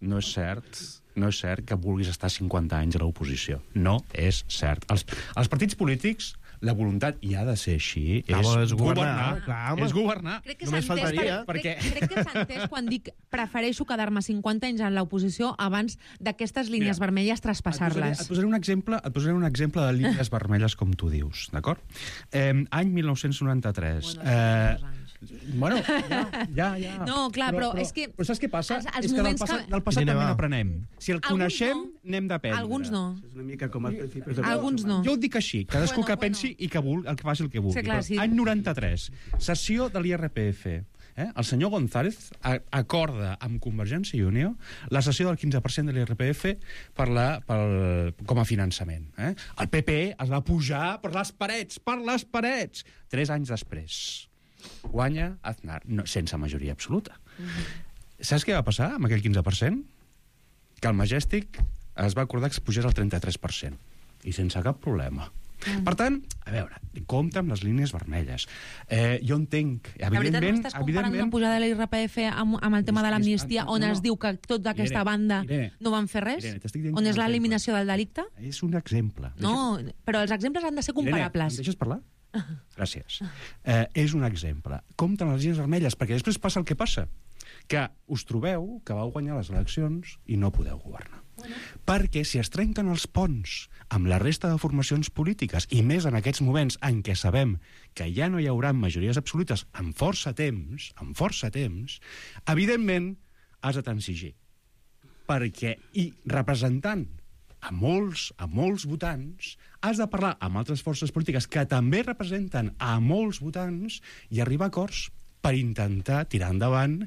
que vulguis estar 50 anys a l'oposició. No és cert. Els partits polítics, la voluntat, i ha de ser així, és governar. És governar. Crec que Només s'ha entès, faltaria. crec que s'ha entès quan dic prefereixo quedar-me 50 anys en l'oposició abans d'aquestes línies vermelles traspassar-les. Et posaré un exemple de línies vermelles, com tu dius, d'acord? Any 1993. Bueno, ja. No, clar, però és que... Però saps què passa? els És que moments del passat també n'aprenem. Si el Alguns coneixem, no. n'hem d'aprendre. Alguns no. És una mica com els principis de... Alguns no. Jo ho dic així, cadascú que pensi i que faci el que vulgui. Sí, clar, sí. Any 93, sessió de l'IRPF. El senyor González acorda amb Convergència i Unió la cessió del 15% de l'IRPF com a finançament. El PP es va pujar per les parets! 3 anys després. Guanya Aznar, sense majoria absoluta. Saps què va passar amb aquell 15%? Que el Majestic es va acordar que es pugés al 33%. I sense cap problema. Per tant, a veure, compta amb les línies vermelles. Jo entenc, La veritat, no estàs comparant una pujada de l'IRPF amb el tema de l'amnistia, on es diu que tota aquesta banda no van fer res? On és l'eliminació del delicte? És un exemple. No, però els exemples han de ser comparables. Irene, em deixes parlar? Gràcies. És un exemple. Compta amb les línies vermelles, perquè després passa el que passa, que us trobeu que vau guanyar les eleccions i no podeu governar. Perquè si es trenquen els ponts amb la resta de formacions polítiques, i més en aquests moments en què sabem que ja no hi haurà majories absolutes en força temps, evidentment has de transigir. Perquè, i representant a molts votants, has de parlar amb altres forces polítiques que també representen a molts votants i arribar a acords per intentar tirar endavant,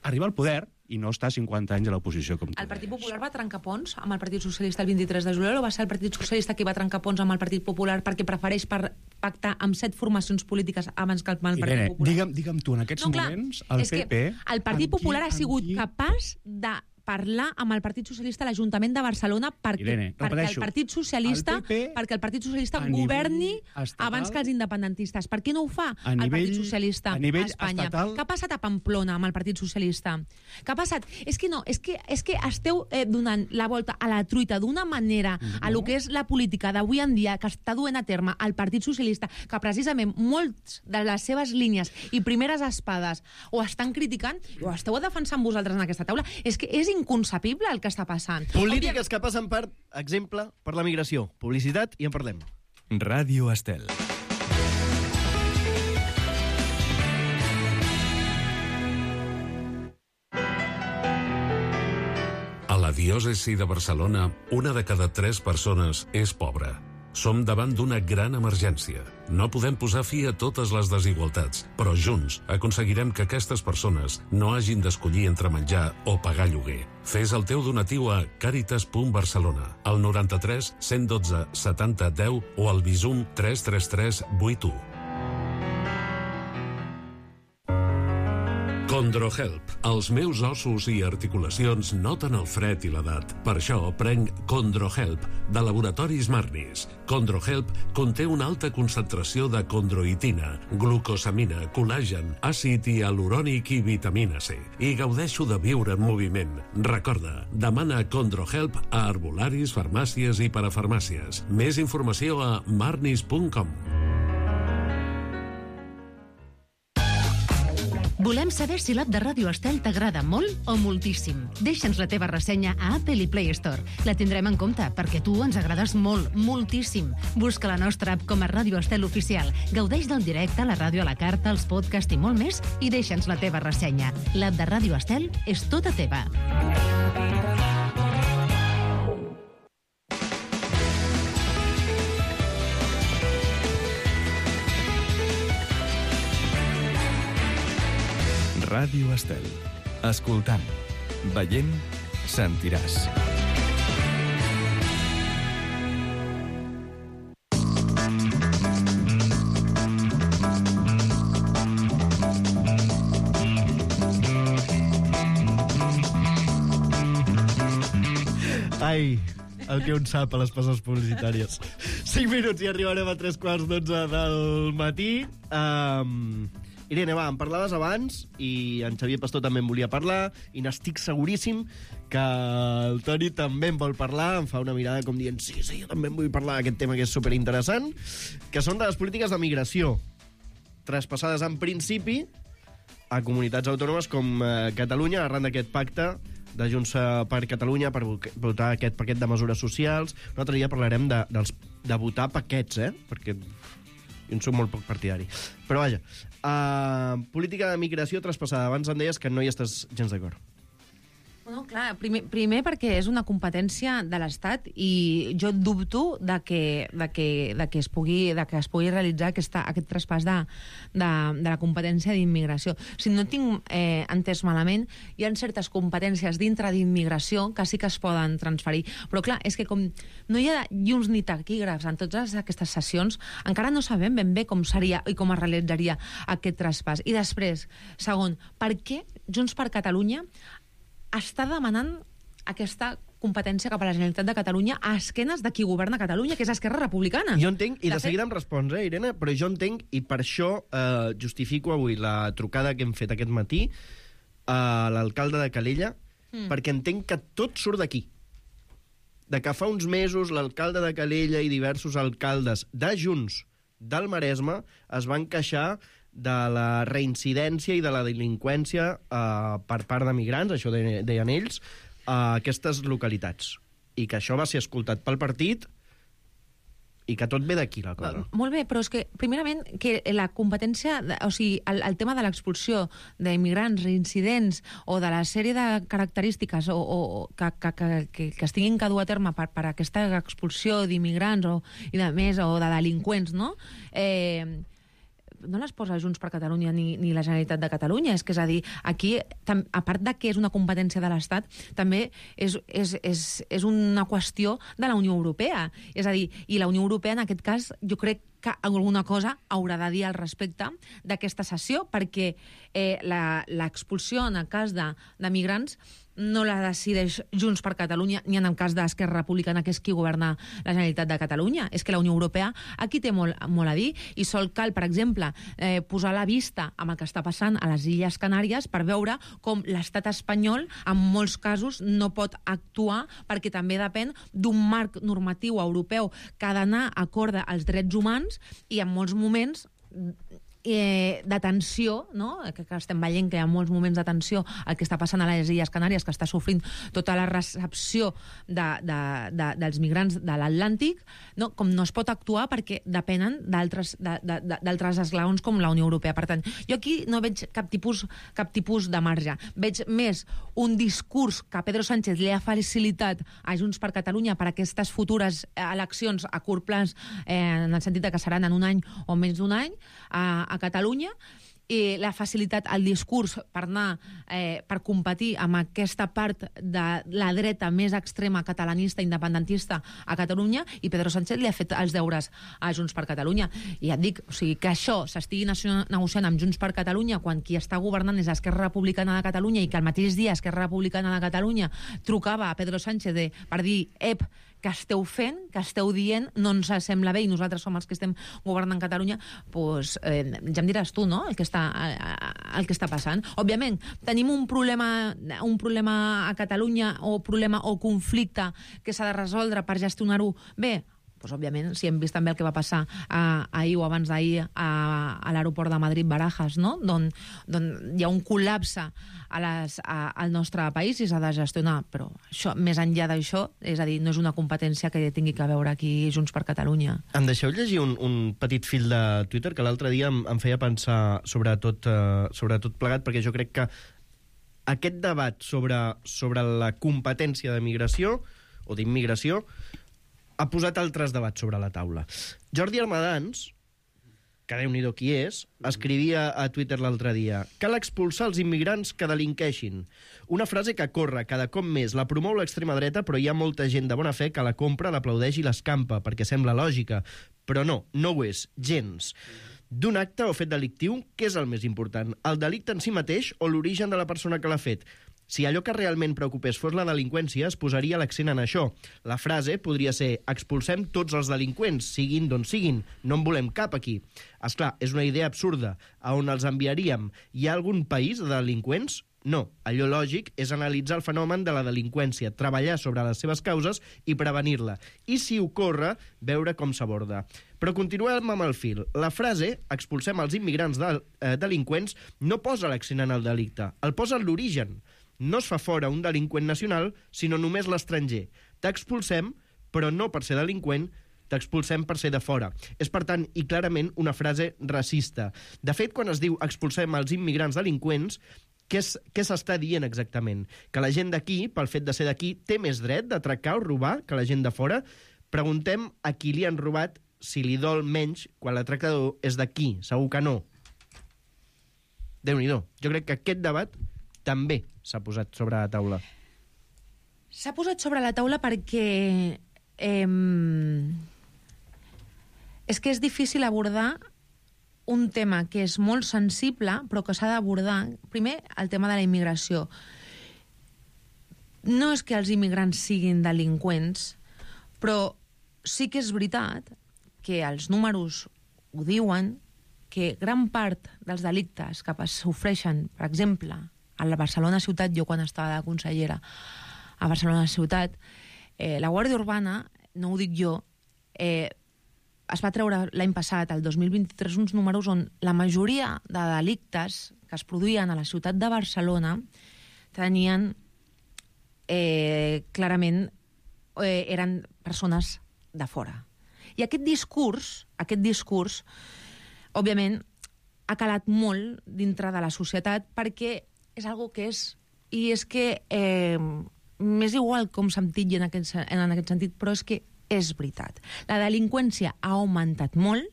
arribar al poder i no estar 50 anys a l'oposició com tu. El Partit Popular va trencar ponts amb el Partit Socialista el 23 de juliol, o va ser el Partit Socialista que va trencar ponts amb el Partit Popular perquè prefereix pactar amb 7 formacions polítiques abans que el Partit Irene, Popular? digue'm tu, en aquests moments, el PP... El Partit Popular ha sigut capaç de parlar amb el Partit Socialista a l'Ajuntament de Barcelona perquè el Partit Socialista governi abans que els independentistes. Per què no ho fa el Partit Socialista a Espanya? Què ha passat a Pamplona amb el Partit Socialista? Què ha passat? És que esteu donant la volta a la truita d'una manera a lo que és la política d'avui en dia que està duent a terme el Partit Socialista, que precisament molts de les seves línies i primeres espades ho estan criticant i ho esteu defensant vosaltres en aquesta taula. És que és inconcebible el que està passant. Polítiques que passen per exemple per la migració. Publicitat i en parlem. Ràdio Estel. A la diòcesi de Barcelona, 1 de cada 3 persones és pobra. Som davant d'una gran emergència. No podem posar fi a totes les desigualtats, però junts aconseguirem que aquestes persones no hagin d'escollir entre menjar o pagar lloguer. Fes el teu donatiu a caritas.barcelona, al 93 112 70 10 o al Bizum 333 81. Condrohelp. Els meus ossos i articulacions noten el fred i l'edat. Per això prenc Condrohelp, de Laboratoris Marnis. Condrohelp conté una alta concentració de condroitina, glucosamina, col·làgen, àcid hialurònic i vitamina C. I gaudeixo de viure en moviment. Recorda, demana Condrohelp a herbolaris, farmàcies i parafarmàcies. Més informació a marnis.com. Volem saber si l'app de Ràdio Estel t'agrada molt o moltíssim. Deixa'ns la teva ressenya a Apple i Play Store. La tindrem en compte, perquè tu ens agrades molt, moltíssim. Busca la nostra app com a Ràdio Estel Oficial. Gaudeix del directe, la ràdio a la carta, els podcasts i molt més, i deixa'ns la teva ressenya. L'app de Ràdio Estel és tota teva. Ràdio Estel. Escoltant, veient, sentiràs. Ai, el que un sap a les passes publicitàries. 5 minuts i arribarem a 3:15 del matí. Irene, va, em parlaves abans i en Xavier Pastor també em volia parlar i n'estic seguríssim que el Toni també em vol parlar, em fa una mirada com dient sí, jo també em vull parlar d'aquest tema que és superinteressant, que són de les polítiques de migració traspassades en principi a comunitats autònomes com Catalunya arran d'aquest pacte de Junts per Catalunya per votar aquest paquet de mesures socials. Un altre dia parlarem de votar paquets, perquè jo en soc molt poc partidari. Però vaja, política de migració traspassada. Abans em deies que no hi estàs gens d'acord. Bueno, clar, primer perquè és una competència de l'Estat i jo dubto de que es pugui realitzar aquest traspàs de la competència d'immigració. Si no tinc entès malament, hi ha certes competències dintre d'immigració que sí que es poden transferir. Però clar, és que com no hi ha llums ni taquígrafs en totes aquestes sessions, encara no sabem ben bé com seria i com es realitzaria aquest traspàs. I després, segon, per què Junts per Catalunya està demanant aquesta competència cap a la Generalitat de Catalunya a esquenes de qui governa Catalunya, que és Esquerra Republicana? Jo entenc, i de seguida em respons, Irene, però jo entenc, i per això justifico avui la trucada que hem fet aquest matí a l'alcalde de Calella, perquè entenc que tot surt d'aquí. De que fa uns mesos l'alcalde de Calella i diversos alcaldes de Junts del Maresme es van queixar de la reincidència i de la delinqüència per part de migrants, això deien ells, a aquestes localitats. I que això va ser escoltat pel partit i que tot ve d'aquí, la cosa. Molt bé, però és que, primerament, que la competència, o sigui, el tema de l'expulsió d'immigrants, reincidents, o de la sèrie de característiques que es tinguin que dur a terme per aquesta expulsió d'immigrants i de més, o de delinqüents, no? No les posa Junts per Catalunya ni la Generalitat de Catalunya. És a dir, aquí, a part de que és una competència de l'Estat, també és una qüestió de la Unió Europea. És a dir, i la Unió Europea, en aquest cas, jo crec que alguna cosa haurà de dir al respecte d'aquesta sessió, perquè l'expulsió en el cas de migrants no la decideix Junts per Catalunya ni en el cas d'Esquerra Republicana, que és qui governa la Generalitat de Catalunya. És que la Unió Europea aquí té molt a dir i sol cal, per exemple, posar la vista amb el que està passant a les Illes Canàries per veure com l'estat espanyol en molts casos no pot actuar perquè també depèn d'un marc normatiu europeu que ha d'anar acord als drets humans i en molts moments de tensió, no? Que estem veient que hi ha molts moments de tensió el que està passant a les Illes Canàries, que està sofrint tota la recepció dels migrants de l'Atlàntic, no? Com no es pot actuar perquè depenen d'altres esglaons com la Unió Europea. Per tant, jo aquí no veig cap tipus de marge. Veig més un discurs que Pedro Sánchez li ha facilitat a Junts per Catalunya per a aquestes futures eleccions a curt plaç, en el sentit que seran en un any o menys d'un any, a Catalunya, i l'ha facilitat el discurs per anar, per competir amb aquesta part de la dreta més extrema catalanista, independentista a Catalunya, i Pedro Sánchez li ha fet els deures a Junts per Catalunya. I ja et dic, o sigui, que això s'estigui negociant amb Junts per Catalunya quan qui està governant és Esquerra Republicana de Catalunya i que el mateix dia Esquerra Republicana de Catalunya trucava a Pedro Sánchez per dir que esteu fent, que esteu dient, no ens sembla bé i nosaltres som els que estem governant Catalunya, doncs ja em diràs tu, no?, el que està passant. Òbviament, tenim un problema a Catalunya o conflicte que s'ha de resoldre per gestionar-ho bé. Doncs, òbviament, si hem vist també el que va passar ahir o abans d'ahir a l'aeroport de Madrid-Barajas, no?, d'on hi ha un col·lapse al nostre país i s'ha de gestionar. Però això, més enllà d'això, és a dir, no és una competència que tingui que veure aquí Junts per Catalunya. Em deixeu llegir un petit fil de Twitter que l'altre dia em feia pensar sobre tot plegat, perquè jo crec que aquest debat sobre la competència de migració o d'immigració ha posat altres debats sobre la taula. Jordi Armadans, que Déu-n'hi-do qui és, escrivia a Twitter l'altre dia: cal expulsar els immigrants que delinqueixin. Una frase que corre cada cop més, la promou l'extrema dreta, però hi ha molta gent de bona fe que la compra, l'aplaudeix i l'escampa, perquè sembla lògica. Però no ho és, gens. D'un acte o fet delictiu, què és el més important? El delicte en si mateix o l'origen de la persona que l'ha fet? Si allò que realment preocupés fos la delinqüència, es posaria l'accent en això. La frase podria ser expulsem tots els delinqüents, siguin d'on siguin, no en volem cap aquí. Esclar, és una idea absurda. A on els enviaríem? Hi ha algun país de delinqüents? No. Allò lògic és analitzar el fenomen de la delinqüència, treballar sobre les seves causes i prevenir-la. I, si ocorre, veure com s'aborda. Però continuem amb el fil. La frase, expulsem els immigrants delinqüents, no posa l'accent en el delicte, el posa en l'origen. No es fa fora un delinqüent nacional, sinó només l'estranger. T'expulsem, però no per ser delinqüent, t'expulsem per ser de fora. És, per tant, i clarament, una frase racista. De fet, quan es diu expulsem els immigrants delinqüents, què s'està dient exactament? Que la gent d'aquí, pel fet de ser d'aquí, té més dret d'atracar o robar que la gent de fora? Preguntem a qui li han robat si li dol menys quan l'atracador és d'aquí. Segur que no. Déu-n'hi-do. Jo crec que aquest debat també s'ha posat sobre la taula. S'ha posat sobre la taula perquè és que és difícil abordar un tema que és molt sensible, però que s'ha d'abordar. Primer, el tema de la immigració. No és que els immigrants siguin delinqüents, però sí que és veritat que els números ho diuen, que gran part dels delictes que sofreixen, per exemple, a la Barcelona ciutat, jo quan estava de consellera a Barcelona ciutat, la Guàrdia Urbana, no ho dic jo, es va treure l'any passat, el 2023, uns números on la majoria de delictes que es produïen a la ciutat de Barcelona tenien clarament eren persones de fora. I aquest discurs, òbviament, ha calat molt dintre de la societat perquè és algo que és... I és que m'és igual com se'm titlli en aquest sentit, però és que és veritat. La delinqüència ha augmentat molt,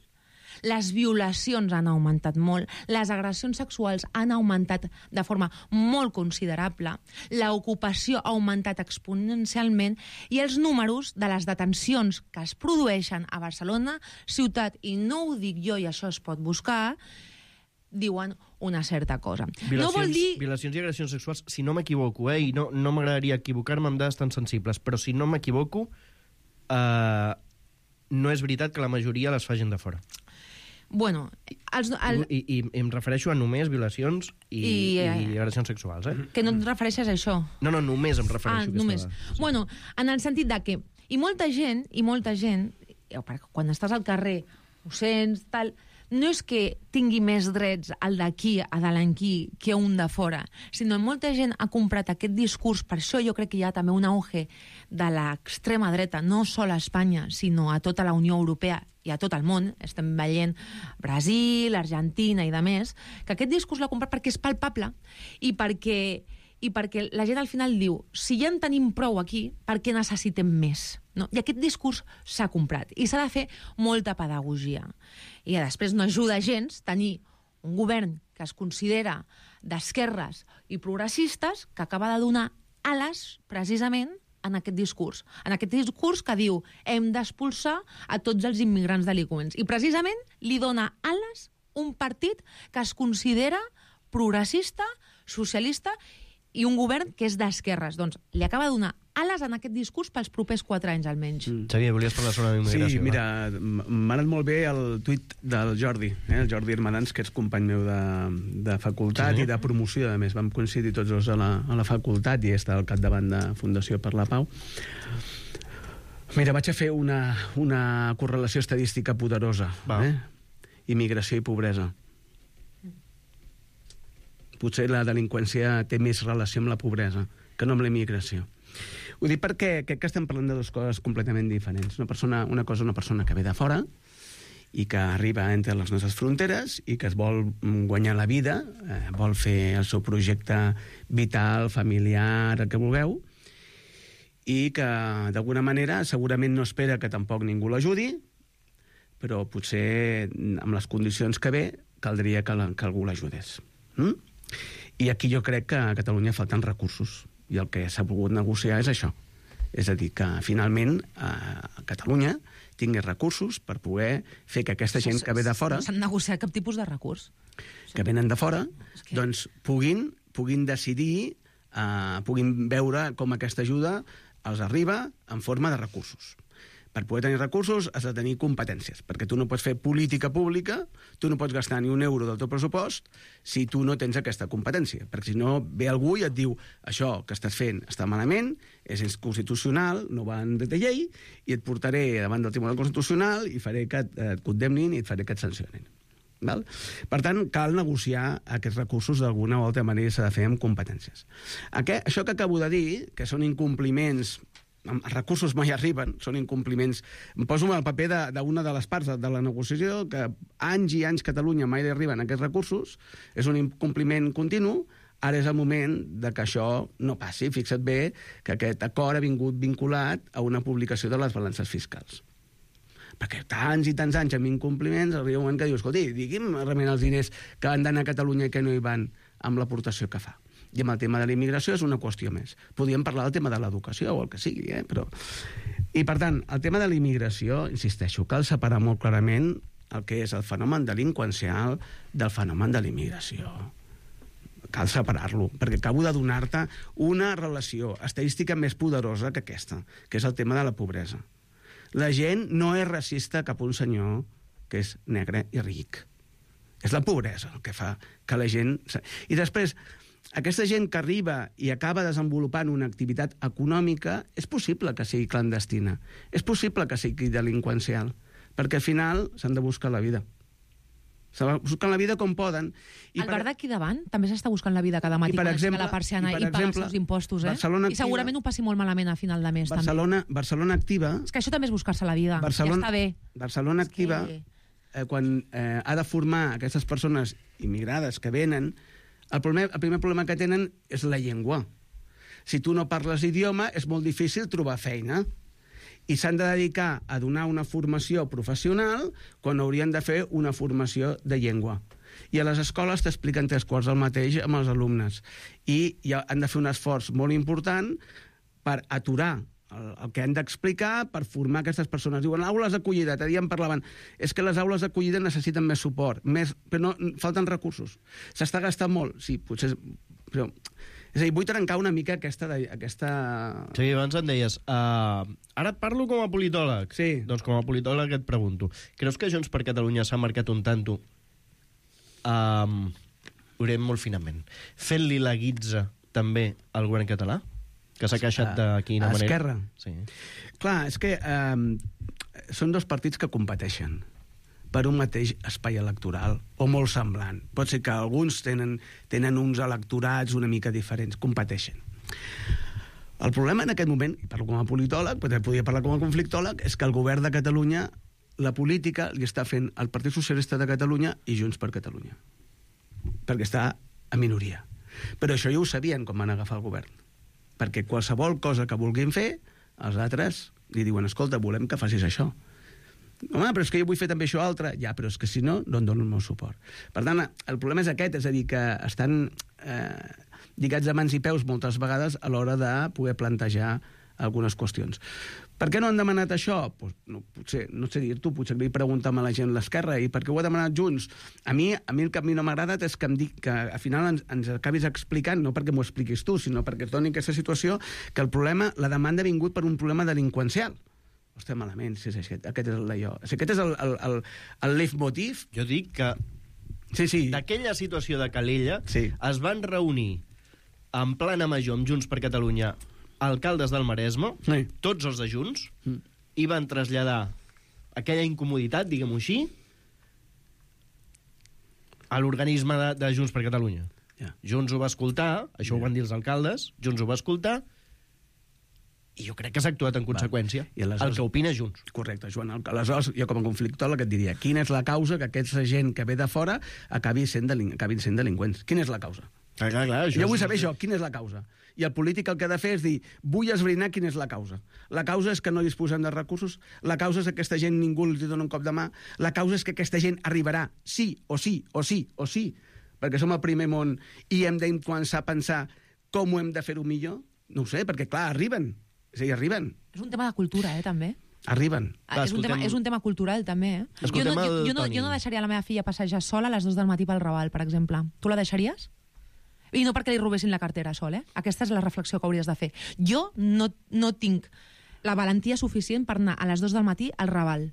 les violacions han augmentat molt, les agressions sexuals han augmentat de forma molt considerable, l'ocupació ha augmentat exponencialment i els números de les detencions que es produeixen a Barcelona ciutat, i no ho dic jo i això es pot buscar, diuen una certa cosa. No vol dir... Violacions i agressions sexuals, si no m'equivoco, i no m'agradaria equivocar-me amb dades tan sensibles, però si no m'equivoco, no és veritat que la majoria les facin de fora. Bueno, I em refereixo a només violacions i agressions sexuals, Que no et refereixes a això? No, només em refereixo a aquesta només. dada. Bueno, en el sentit de que... I molta gent, quan estàs al carrer, ho sents, tal... No és que tingui més drets el d'aquí a delinquir que un de fora, sinó que molta gent ha comprat aquest discurs. Per això jo crec que hi ha també un auge de l'extrema dreta, no sol a Espanya, sinó a tota la Unió Europea i a tot el món. Estem veient Brasil, Argentina i demés, que aquest discurs l'ha comprat perquè és palpable i perquè la gent al final diu, si ja en tenim prou aquí, per què necessitem més? No? I aquest discurs s'ha comprat i s'ha de fer molta pedagogia. I després no ajuda gens tenir un govern que es considera d'esquerres i progressistes que acaba de donar ales precisament en aquest discurs. En aquest discurs que diu hem d'expulsar a tots els immigrants delinqüents. I precisament li dona ales un partit que es considera progressista, socialista i un govern que és d'esquerres. Doncs li acaba de donar ales en aquest discurs pels propers 4 anys, almenys. Xavier, volies parlar sobre la immigració? Sí, mira, m'ha anat molt bé el tuit del Jordi, el Jordi Hermadans, que és company meu de facultat i de promoció, a més. Vam coincidir tots dos a la facultat i està al capdavant de Fundació per la Pau. Mira, vaig a fer una correlació estadística poderosa. Immigració i pobresa. Potser la delinqüència té més relació amb la pobresa que no amb la immigració. Ho dic perquè crec que estem parlant de dues coses completament diferents. Una persona que ve de fora i que arriba entre les nostres fronteres i que es vol guanyar la vida, vol fer el seu projecte vital, familiar, el que vulgueu, i que d'alguna manera segurament no espera que tampoc ningú l'ajudi, però potser amb les condicions que ve caldria que algú l'ajudés. I aquí jo crec que a Catalunya falten recursos i el que s'ha volgut negociar és això, és a dir, que finalment a Catalunya tingui recursos per poder fer que aquesta gent que ve de fora... No s'han negociat cap tipus de recurs. Que venen de fora, doncs puguin decidir puguin veure com aquesta ajuda els arriba en forma de recursos. Per poder tenir recursos has de tenir competències, perquè tu no pots fer política pública, tu no pots gastar ni un euro del teu pressupost si tu no tens aquesta competència, perquè si no ve algú i et diu això que estàs fent està malament, és inconstitucional, no va en dret de llei, i et portaré davant del Tribunal Constitucional i faré que et condemnin i et faré que et sancionin. Val? Per tant, cal negociar aquests recursos d'alguna o altra manera, s'ha de fer amb competències. Això que acabo de dir, que són incompliments, els recursos mai arriben, són incompliments. Em poso al paper d'una de les parts de la negociació, que anys i anys Catalunya mai li arriben aquests recursos, és un incompliment continu. Ara és el moment de que això no passi. Fixa't bé que aquest acord ha vingut vinculat a una publicació de les balances fiscals. Perquè tants i tants anys amb incompliments arriba un moment que diu, escolti, digui'm realment els diners que han d'anar a Catalunya i que no hi van amb l'aportació que fa. I amb el tema de la immigració és una qüestió més. Podríem parlar del tema de l'educació o el que sigui, però... I, per tant, el tema de la immigració, insisteixo, cal separar molt clarament el que és el fenomen delinqüencial del fenomen de la immigració. Cal separar-lo, perquè acabo de donar-te una relació estadística més poderosa que aquesta, que és el tema de la pobresa. La gent no és racista cap a un senyor que és negre i ric. És la pobresa el que fa que la gent... I després, aquesta gent que arriba i acaba desenvolupant una activitat econòmica, és possible que sigui clandestina, és possible que sigui delinqüencial, perquè al final s'han de buscar la vida. S'han de buscar la vida com poden. El bar d'aquí davant també s'està buscant la vida cada matí quan aixeca la persiana i paga els seus impostos, I segurament ho passi molt malament a final de mes. Barcelona Activa... És que això també és buscar-se la vida, ja està bé. Barcelona Activa, quan ha de formar aquestes persones immigrades que venen, el primer problema que tenen és la llengua. Si tu no parles idioma, és molt difícil trobar feina. I s'han de dedicar a donar una formació professional quan haurien de fer una formació de llengua. I a les escoles t'expliquen 3/4 el mateix amb els alumnes. I han de fer un esforç molt important per aturar el que han d'explicar per formar aquestes persones. Diuen, aules d'acollida, ja en parlaven. És que les aules d'acollida necessiten més suport, però no, falten recursos. S'està gastant molt, sí, potser... Però, és a dir, vull trencar una mica aquesta... Sí, abans em deies, ara et parlo com a politòleg. Sí. Doncs com a politòleg et pregunto, creus que Junts per Catalunya s'ha marcat un tanto, ho direm molt finament, fent-li la guitza també al govern català? Que s'ha queixat de quina manera? Esquerra? Sí. Clar, és que són dos partits que competeixen per un mateix espai electoral, o molt semblant. Pot ser que alguns tenen uns electorats una mica diferents, competeixen. El problema en aquest moment, i parlo com a politòleg, però podria parlar com a conflictòleg, és que el govern de Catalunya, la política, li està fent el Partit Socialista de Catalunya i Junts per Catalunya. Perquè està a minoria. Però això ja ho sabien quan van agafar el govern. Perquè qualsevol cosa que vulguin fer, els altres li diuen, escolta, volem que facis això. Home, però és que jo vull fer també això altre. Ja, però és que si no, no em dono el meu suport. Per tant, el problema és aquest, és a dir, que estan lligats de mans i peus moltes vegades a l'hora de poder plantejar algunes qüestions. Per què no han demanat això? Pues, no, potser, no sé dir-t'ho, potser li preguntem a la gent a l'esquerra, i per què ho ha demanat Junts? A mi el que a mi no m'ha agradat és que em dic que al final ens acabis explicant, no perquè m'ho expliquis tu, sinó perquè et doni aquesta situació, que el problema, la demanda ha vingut per un problema delinqüencial. Ostres, malament, si és aquest és l'allò. Si aquest és el leitmotiv... Jo dic que d'aquella situació de Calella es van reunir en plana major amb Junts per Catalunya alcaldes del Maresme, tots els de Junts, i van traslladar aquella incomoditat, diguem-ho així, a l'organisme de Junts per Catalunya. Junts ho va escoltar, això ho van dir els alcaldes, Junts ho va escoltar, i jo crec que s'ha actuat en conseqüència. El que opina Junts. Correcte, Joan. Aleshores, jo com a conflictòleg et diria, quina és la causa que aquesta gent que ve de fora acabin sent delinqüents? Quina és la causa? Clar, jo vull saber això, quina és la causa? I el polític el que ha de fer és dir, vull esbrinar quina és la causa. La causa és que no disposem de recursos, la causa és que aquesta gent ningú els dona un cop de mà, la causa és que aquesta gent arribarà sí o sí, o sí, o sí, perquè som el primer món i hem de començar a pensar com ho hem de fer-ho millor? No ho sé, perquè clar, arriben. És a dir, arriben. És un tema de cultura, també. Arriben. És un tema cultural, també. Jo no deixaria la meva filla passejar sola a les 2 del matí pel Raval, per exemple. Tu la deixaries? I no perquè li robessin la cartera sol, eh? Aquesta és la reflexió que hauries de fer. Jo no tinc la valentia suficient per anar a les 2 del matí al Raval.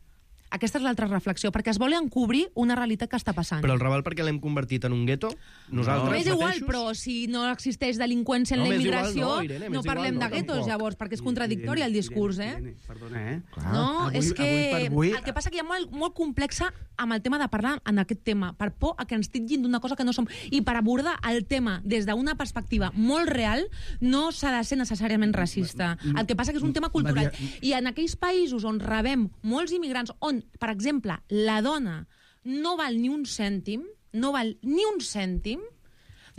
Aquesta és l'altra reflexió, perquè es vol encobrir una realitat que està passant. Però el Raval perquè l'hem convertit en un gueto? Nosaltres M'és igual, mateixos? però si no existeix delinqüència en la immigració, no parlem de guetos, llavors, perquè és contradictori el discurs, eh? Irene, perdona, eh? No, és que avui... el que passa que hi ha molt complexa amb el tema de parlar en aquest tema, per por a que ens titllin d'una cosa que no som. I per abordar el tema des d'una perspectiva molt real, no s'ha de ser necessàriament racista. El que passa que és un tema cultural. I en aquells països on rebem molts immigrants, on, per exemple, la dona no val ni un cèntim,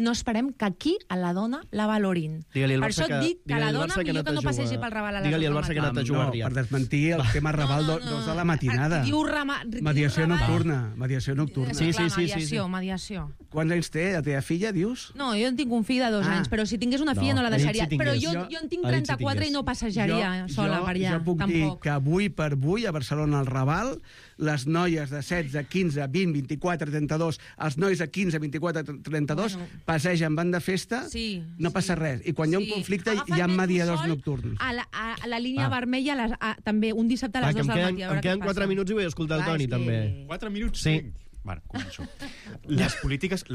no esperem que aquí a la dona la valorin. Per això et dic que la dona millor que no passegi pel Raval a les 2 del matí. Digue-li al Barça que ha anat a jugar per desmentir el tema Raval 2 de la matinada. Mediació nocturna. Mediació nocturna. Sí. Mediació. Quants anys té la teva filla, dius? No, jo en tinc un fill de 2 anys, però si tingués una filla no la deixaria. Però jo en tinc 34 i no passejaria sola per allà, tampoc. Jo puc dir que avui per avui a Barcelona al Raval les noies de 16, 15, 20, 24, 32, els nois de 15, 24, 32 passegen, van de festa, no passa res. I quan hi ha un conflicte hi ha mediadors nocturns. A la línia vermella, també, un dissabte a les 2 del matí. Em queden 4 minuts i vull escoltar el Toni, també. 4 minuts? Sí. Bueno, començo. Les polítiques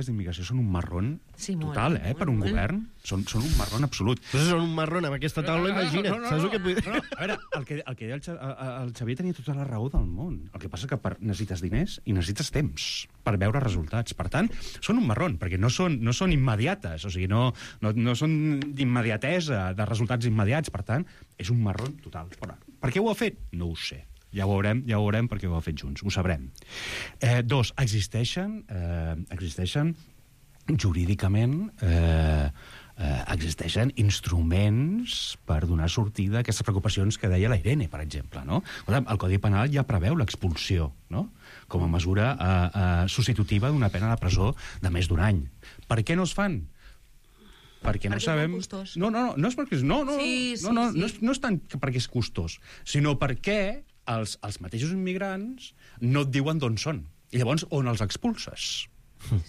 d'immigració són un marrón total, per un govern. Són un marrón absolut. Però són un marrón amb aquesta taula, imagina't. Saps el que et vull dir? A veure, el que deia el Xavier tenia tota la raó del món. El que passa que necessites diners i necessites temps per veure resultats. Per tant, són un marrón, perquè no són immediates, o sigui, no són d'immediatesa, de resultats immediats. Per tant, és un marrón total. Per què ho ha fet? No ho sé. Ja ho veurem perquè ho ha fet junts, ho sabrem. 2, existeixen jurídicament existeixen instruments per donar sortida a aquestes preocupacions que deia la Irene, per exemple. No? El Codi Penal ja preveu l'expulsió, no? Com a mesura substitutiva d'una pena de presó de més d'un any. Per què no es fan? Perquè no sabem... No és perquè... No és tant perquè és costós, sinó perquè els mateixos immigrants no et diuen d'on són. I llavors, on els expulses?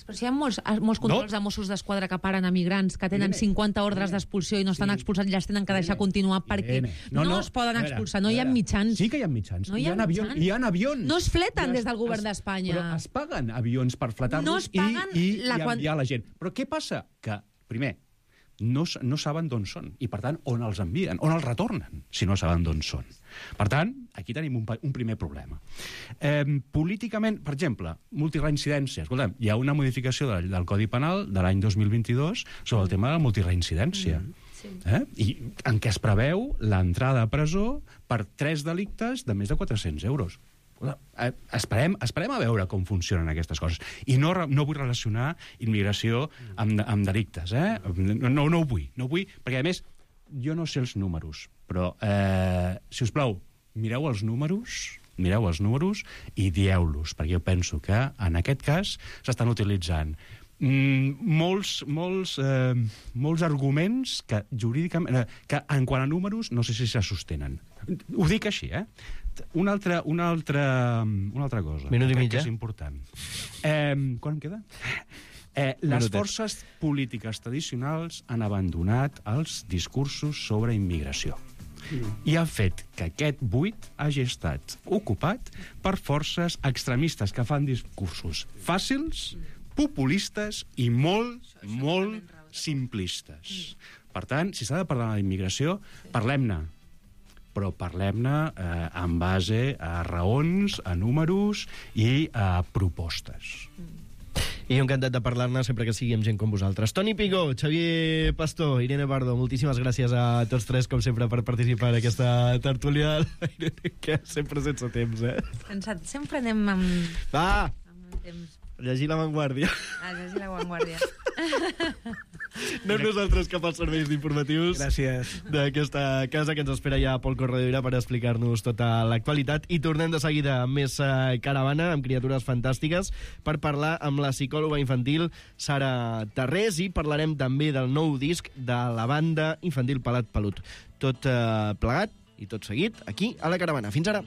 Però si hi ha molts controls de Mossos d'Esquadra que paren a migrants que tenen 50 ordres d'expulsió i no estan expulsats i les tenen que deixar continuar perquè no es poden expulsar, no hi ha mitjans. Sí que hi ha mitjans. Hi ha avions. No es fleten des del govern d'Espanya. Però es paguen avions per fletar-los i enviar la gent. Però què passa? Que, primer, no saben d'on són, i per tant, on els envien, on els retornen, si no saben d'on són. Per tant, aquí tenim un primer problema. Políticament, per exemple, multireincidència. Escolta'm, hi ha una modificació del Codi Penal de l'any 2022 sobre el tema de la multireincidència. I en què es preveu l'entrada a presó per 3 delictes de més de 400 euros. Esperem a veure com funcionen aquestes coses. I no vull relacionar immigració amb delictes. No ho vull, perquè a més jo no sé els números, però si us plau, mireu els números i dieu-los, perquè jo penso que en aquest cas s'estan utilitzant molts arguments que jurídicament, que en quant a números no sé si se sostenen. Ho dic així, Una altra cosa. Minut i mig, que és important. Quan em queda? Les forces polítiques tradicionals han abandonat els discursos sobre immigració i han fet que aquest buit hagi estat ocupat per forces extremistes que fan discursos fàcils, populistes i molt simplistes. Per tant, si s'ha de parlar d'immigració, parlem-ne, però parlem-ne en base a raons, a números i a propostes. I jo encantat de parlar-ne sempre que sigui amb gent com vosaltres. Toni Pigó, Xavier Pastor, Irene Pardo, moltíssimes gràcies a tots tres, com sempre, per participar en aquesta tertúlia. Irene, que sempre sense temps, Cansat. Sempre anem amb... Va! Amb temps. Llegir La Vanguardia. Llegir La Vanguardia. No nosaltres cap als serveis informatius d'aquesta casa que ens espera ja Pol Corredoira per explicar-nos tota l'actualitat, i tornem de seguida amb més caravana, amb criatures fantàstiques, per parlar amb la psicòloga infantil Sara Tarrés, i parlarem també del nou disc de la banda infantil Pelat Pelut. Tot plegat i tot seguit aquí a la caravana. Fins ara!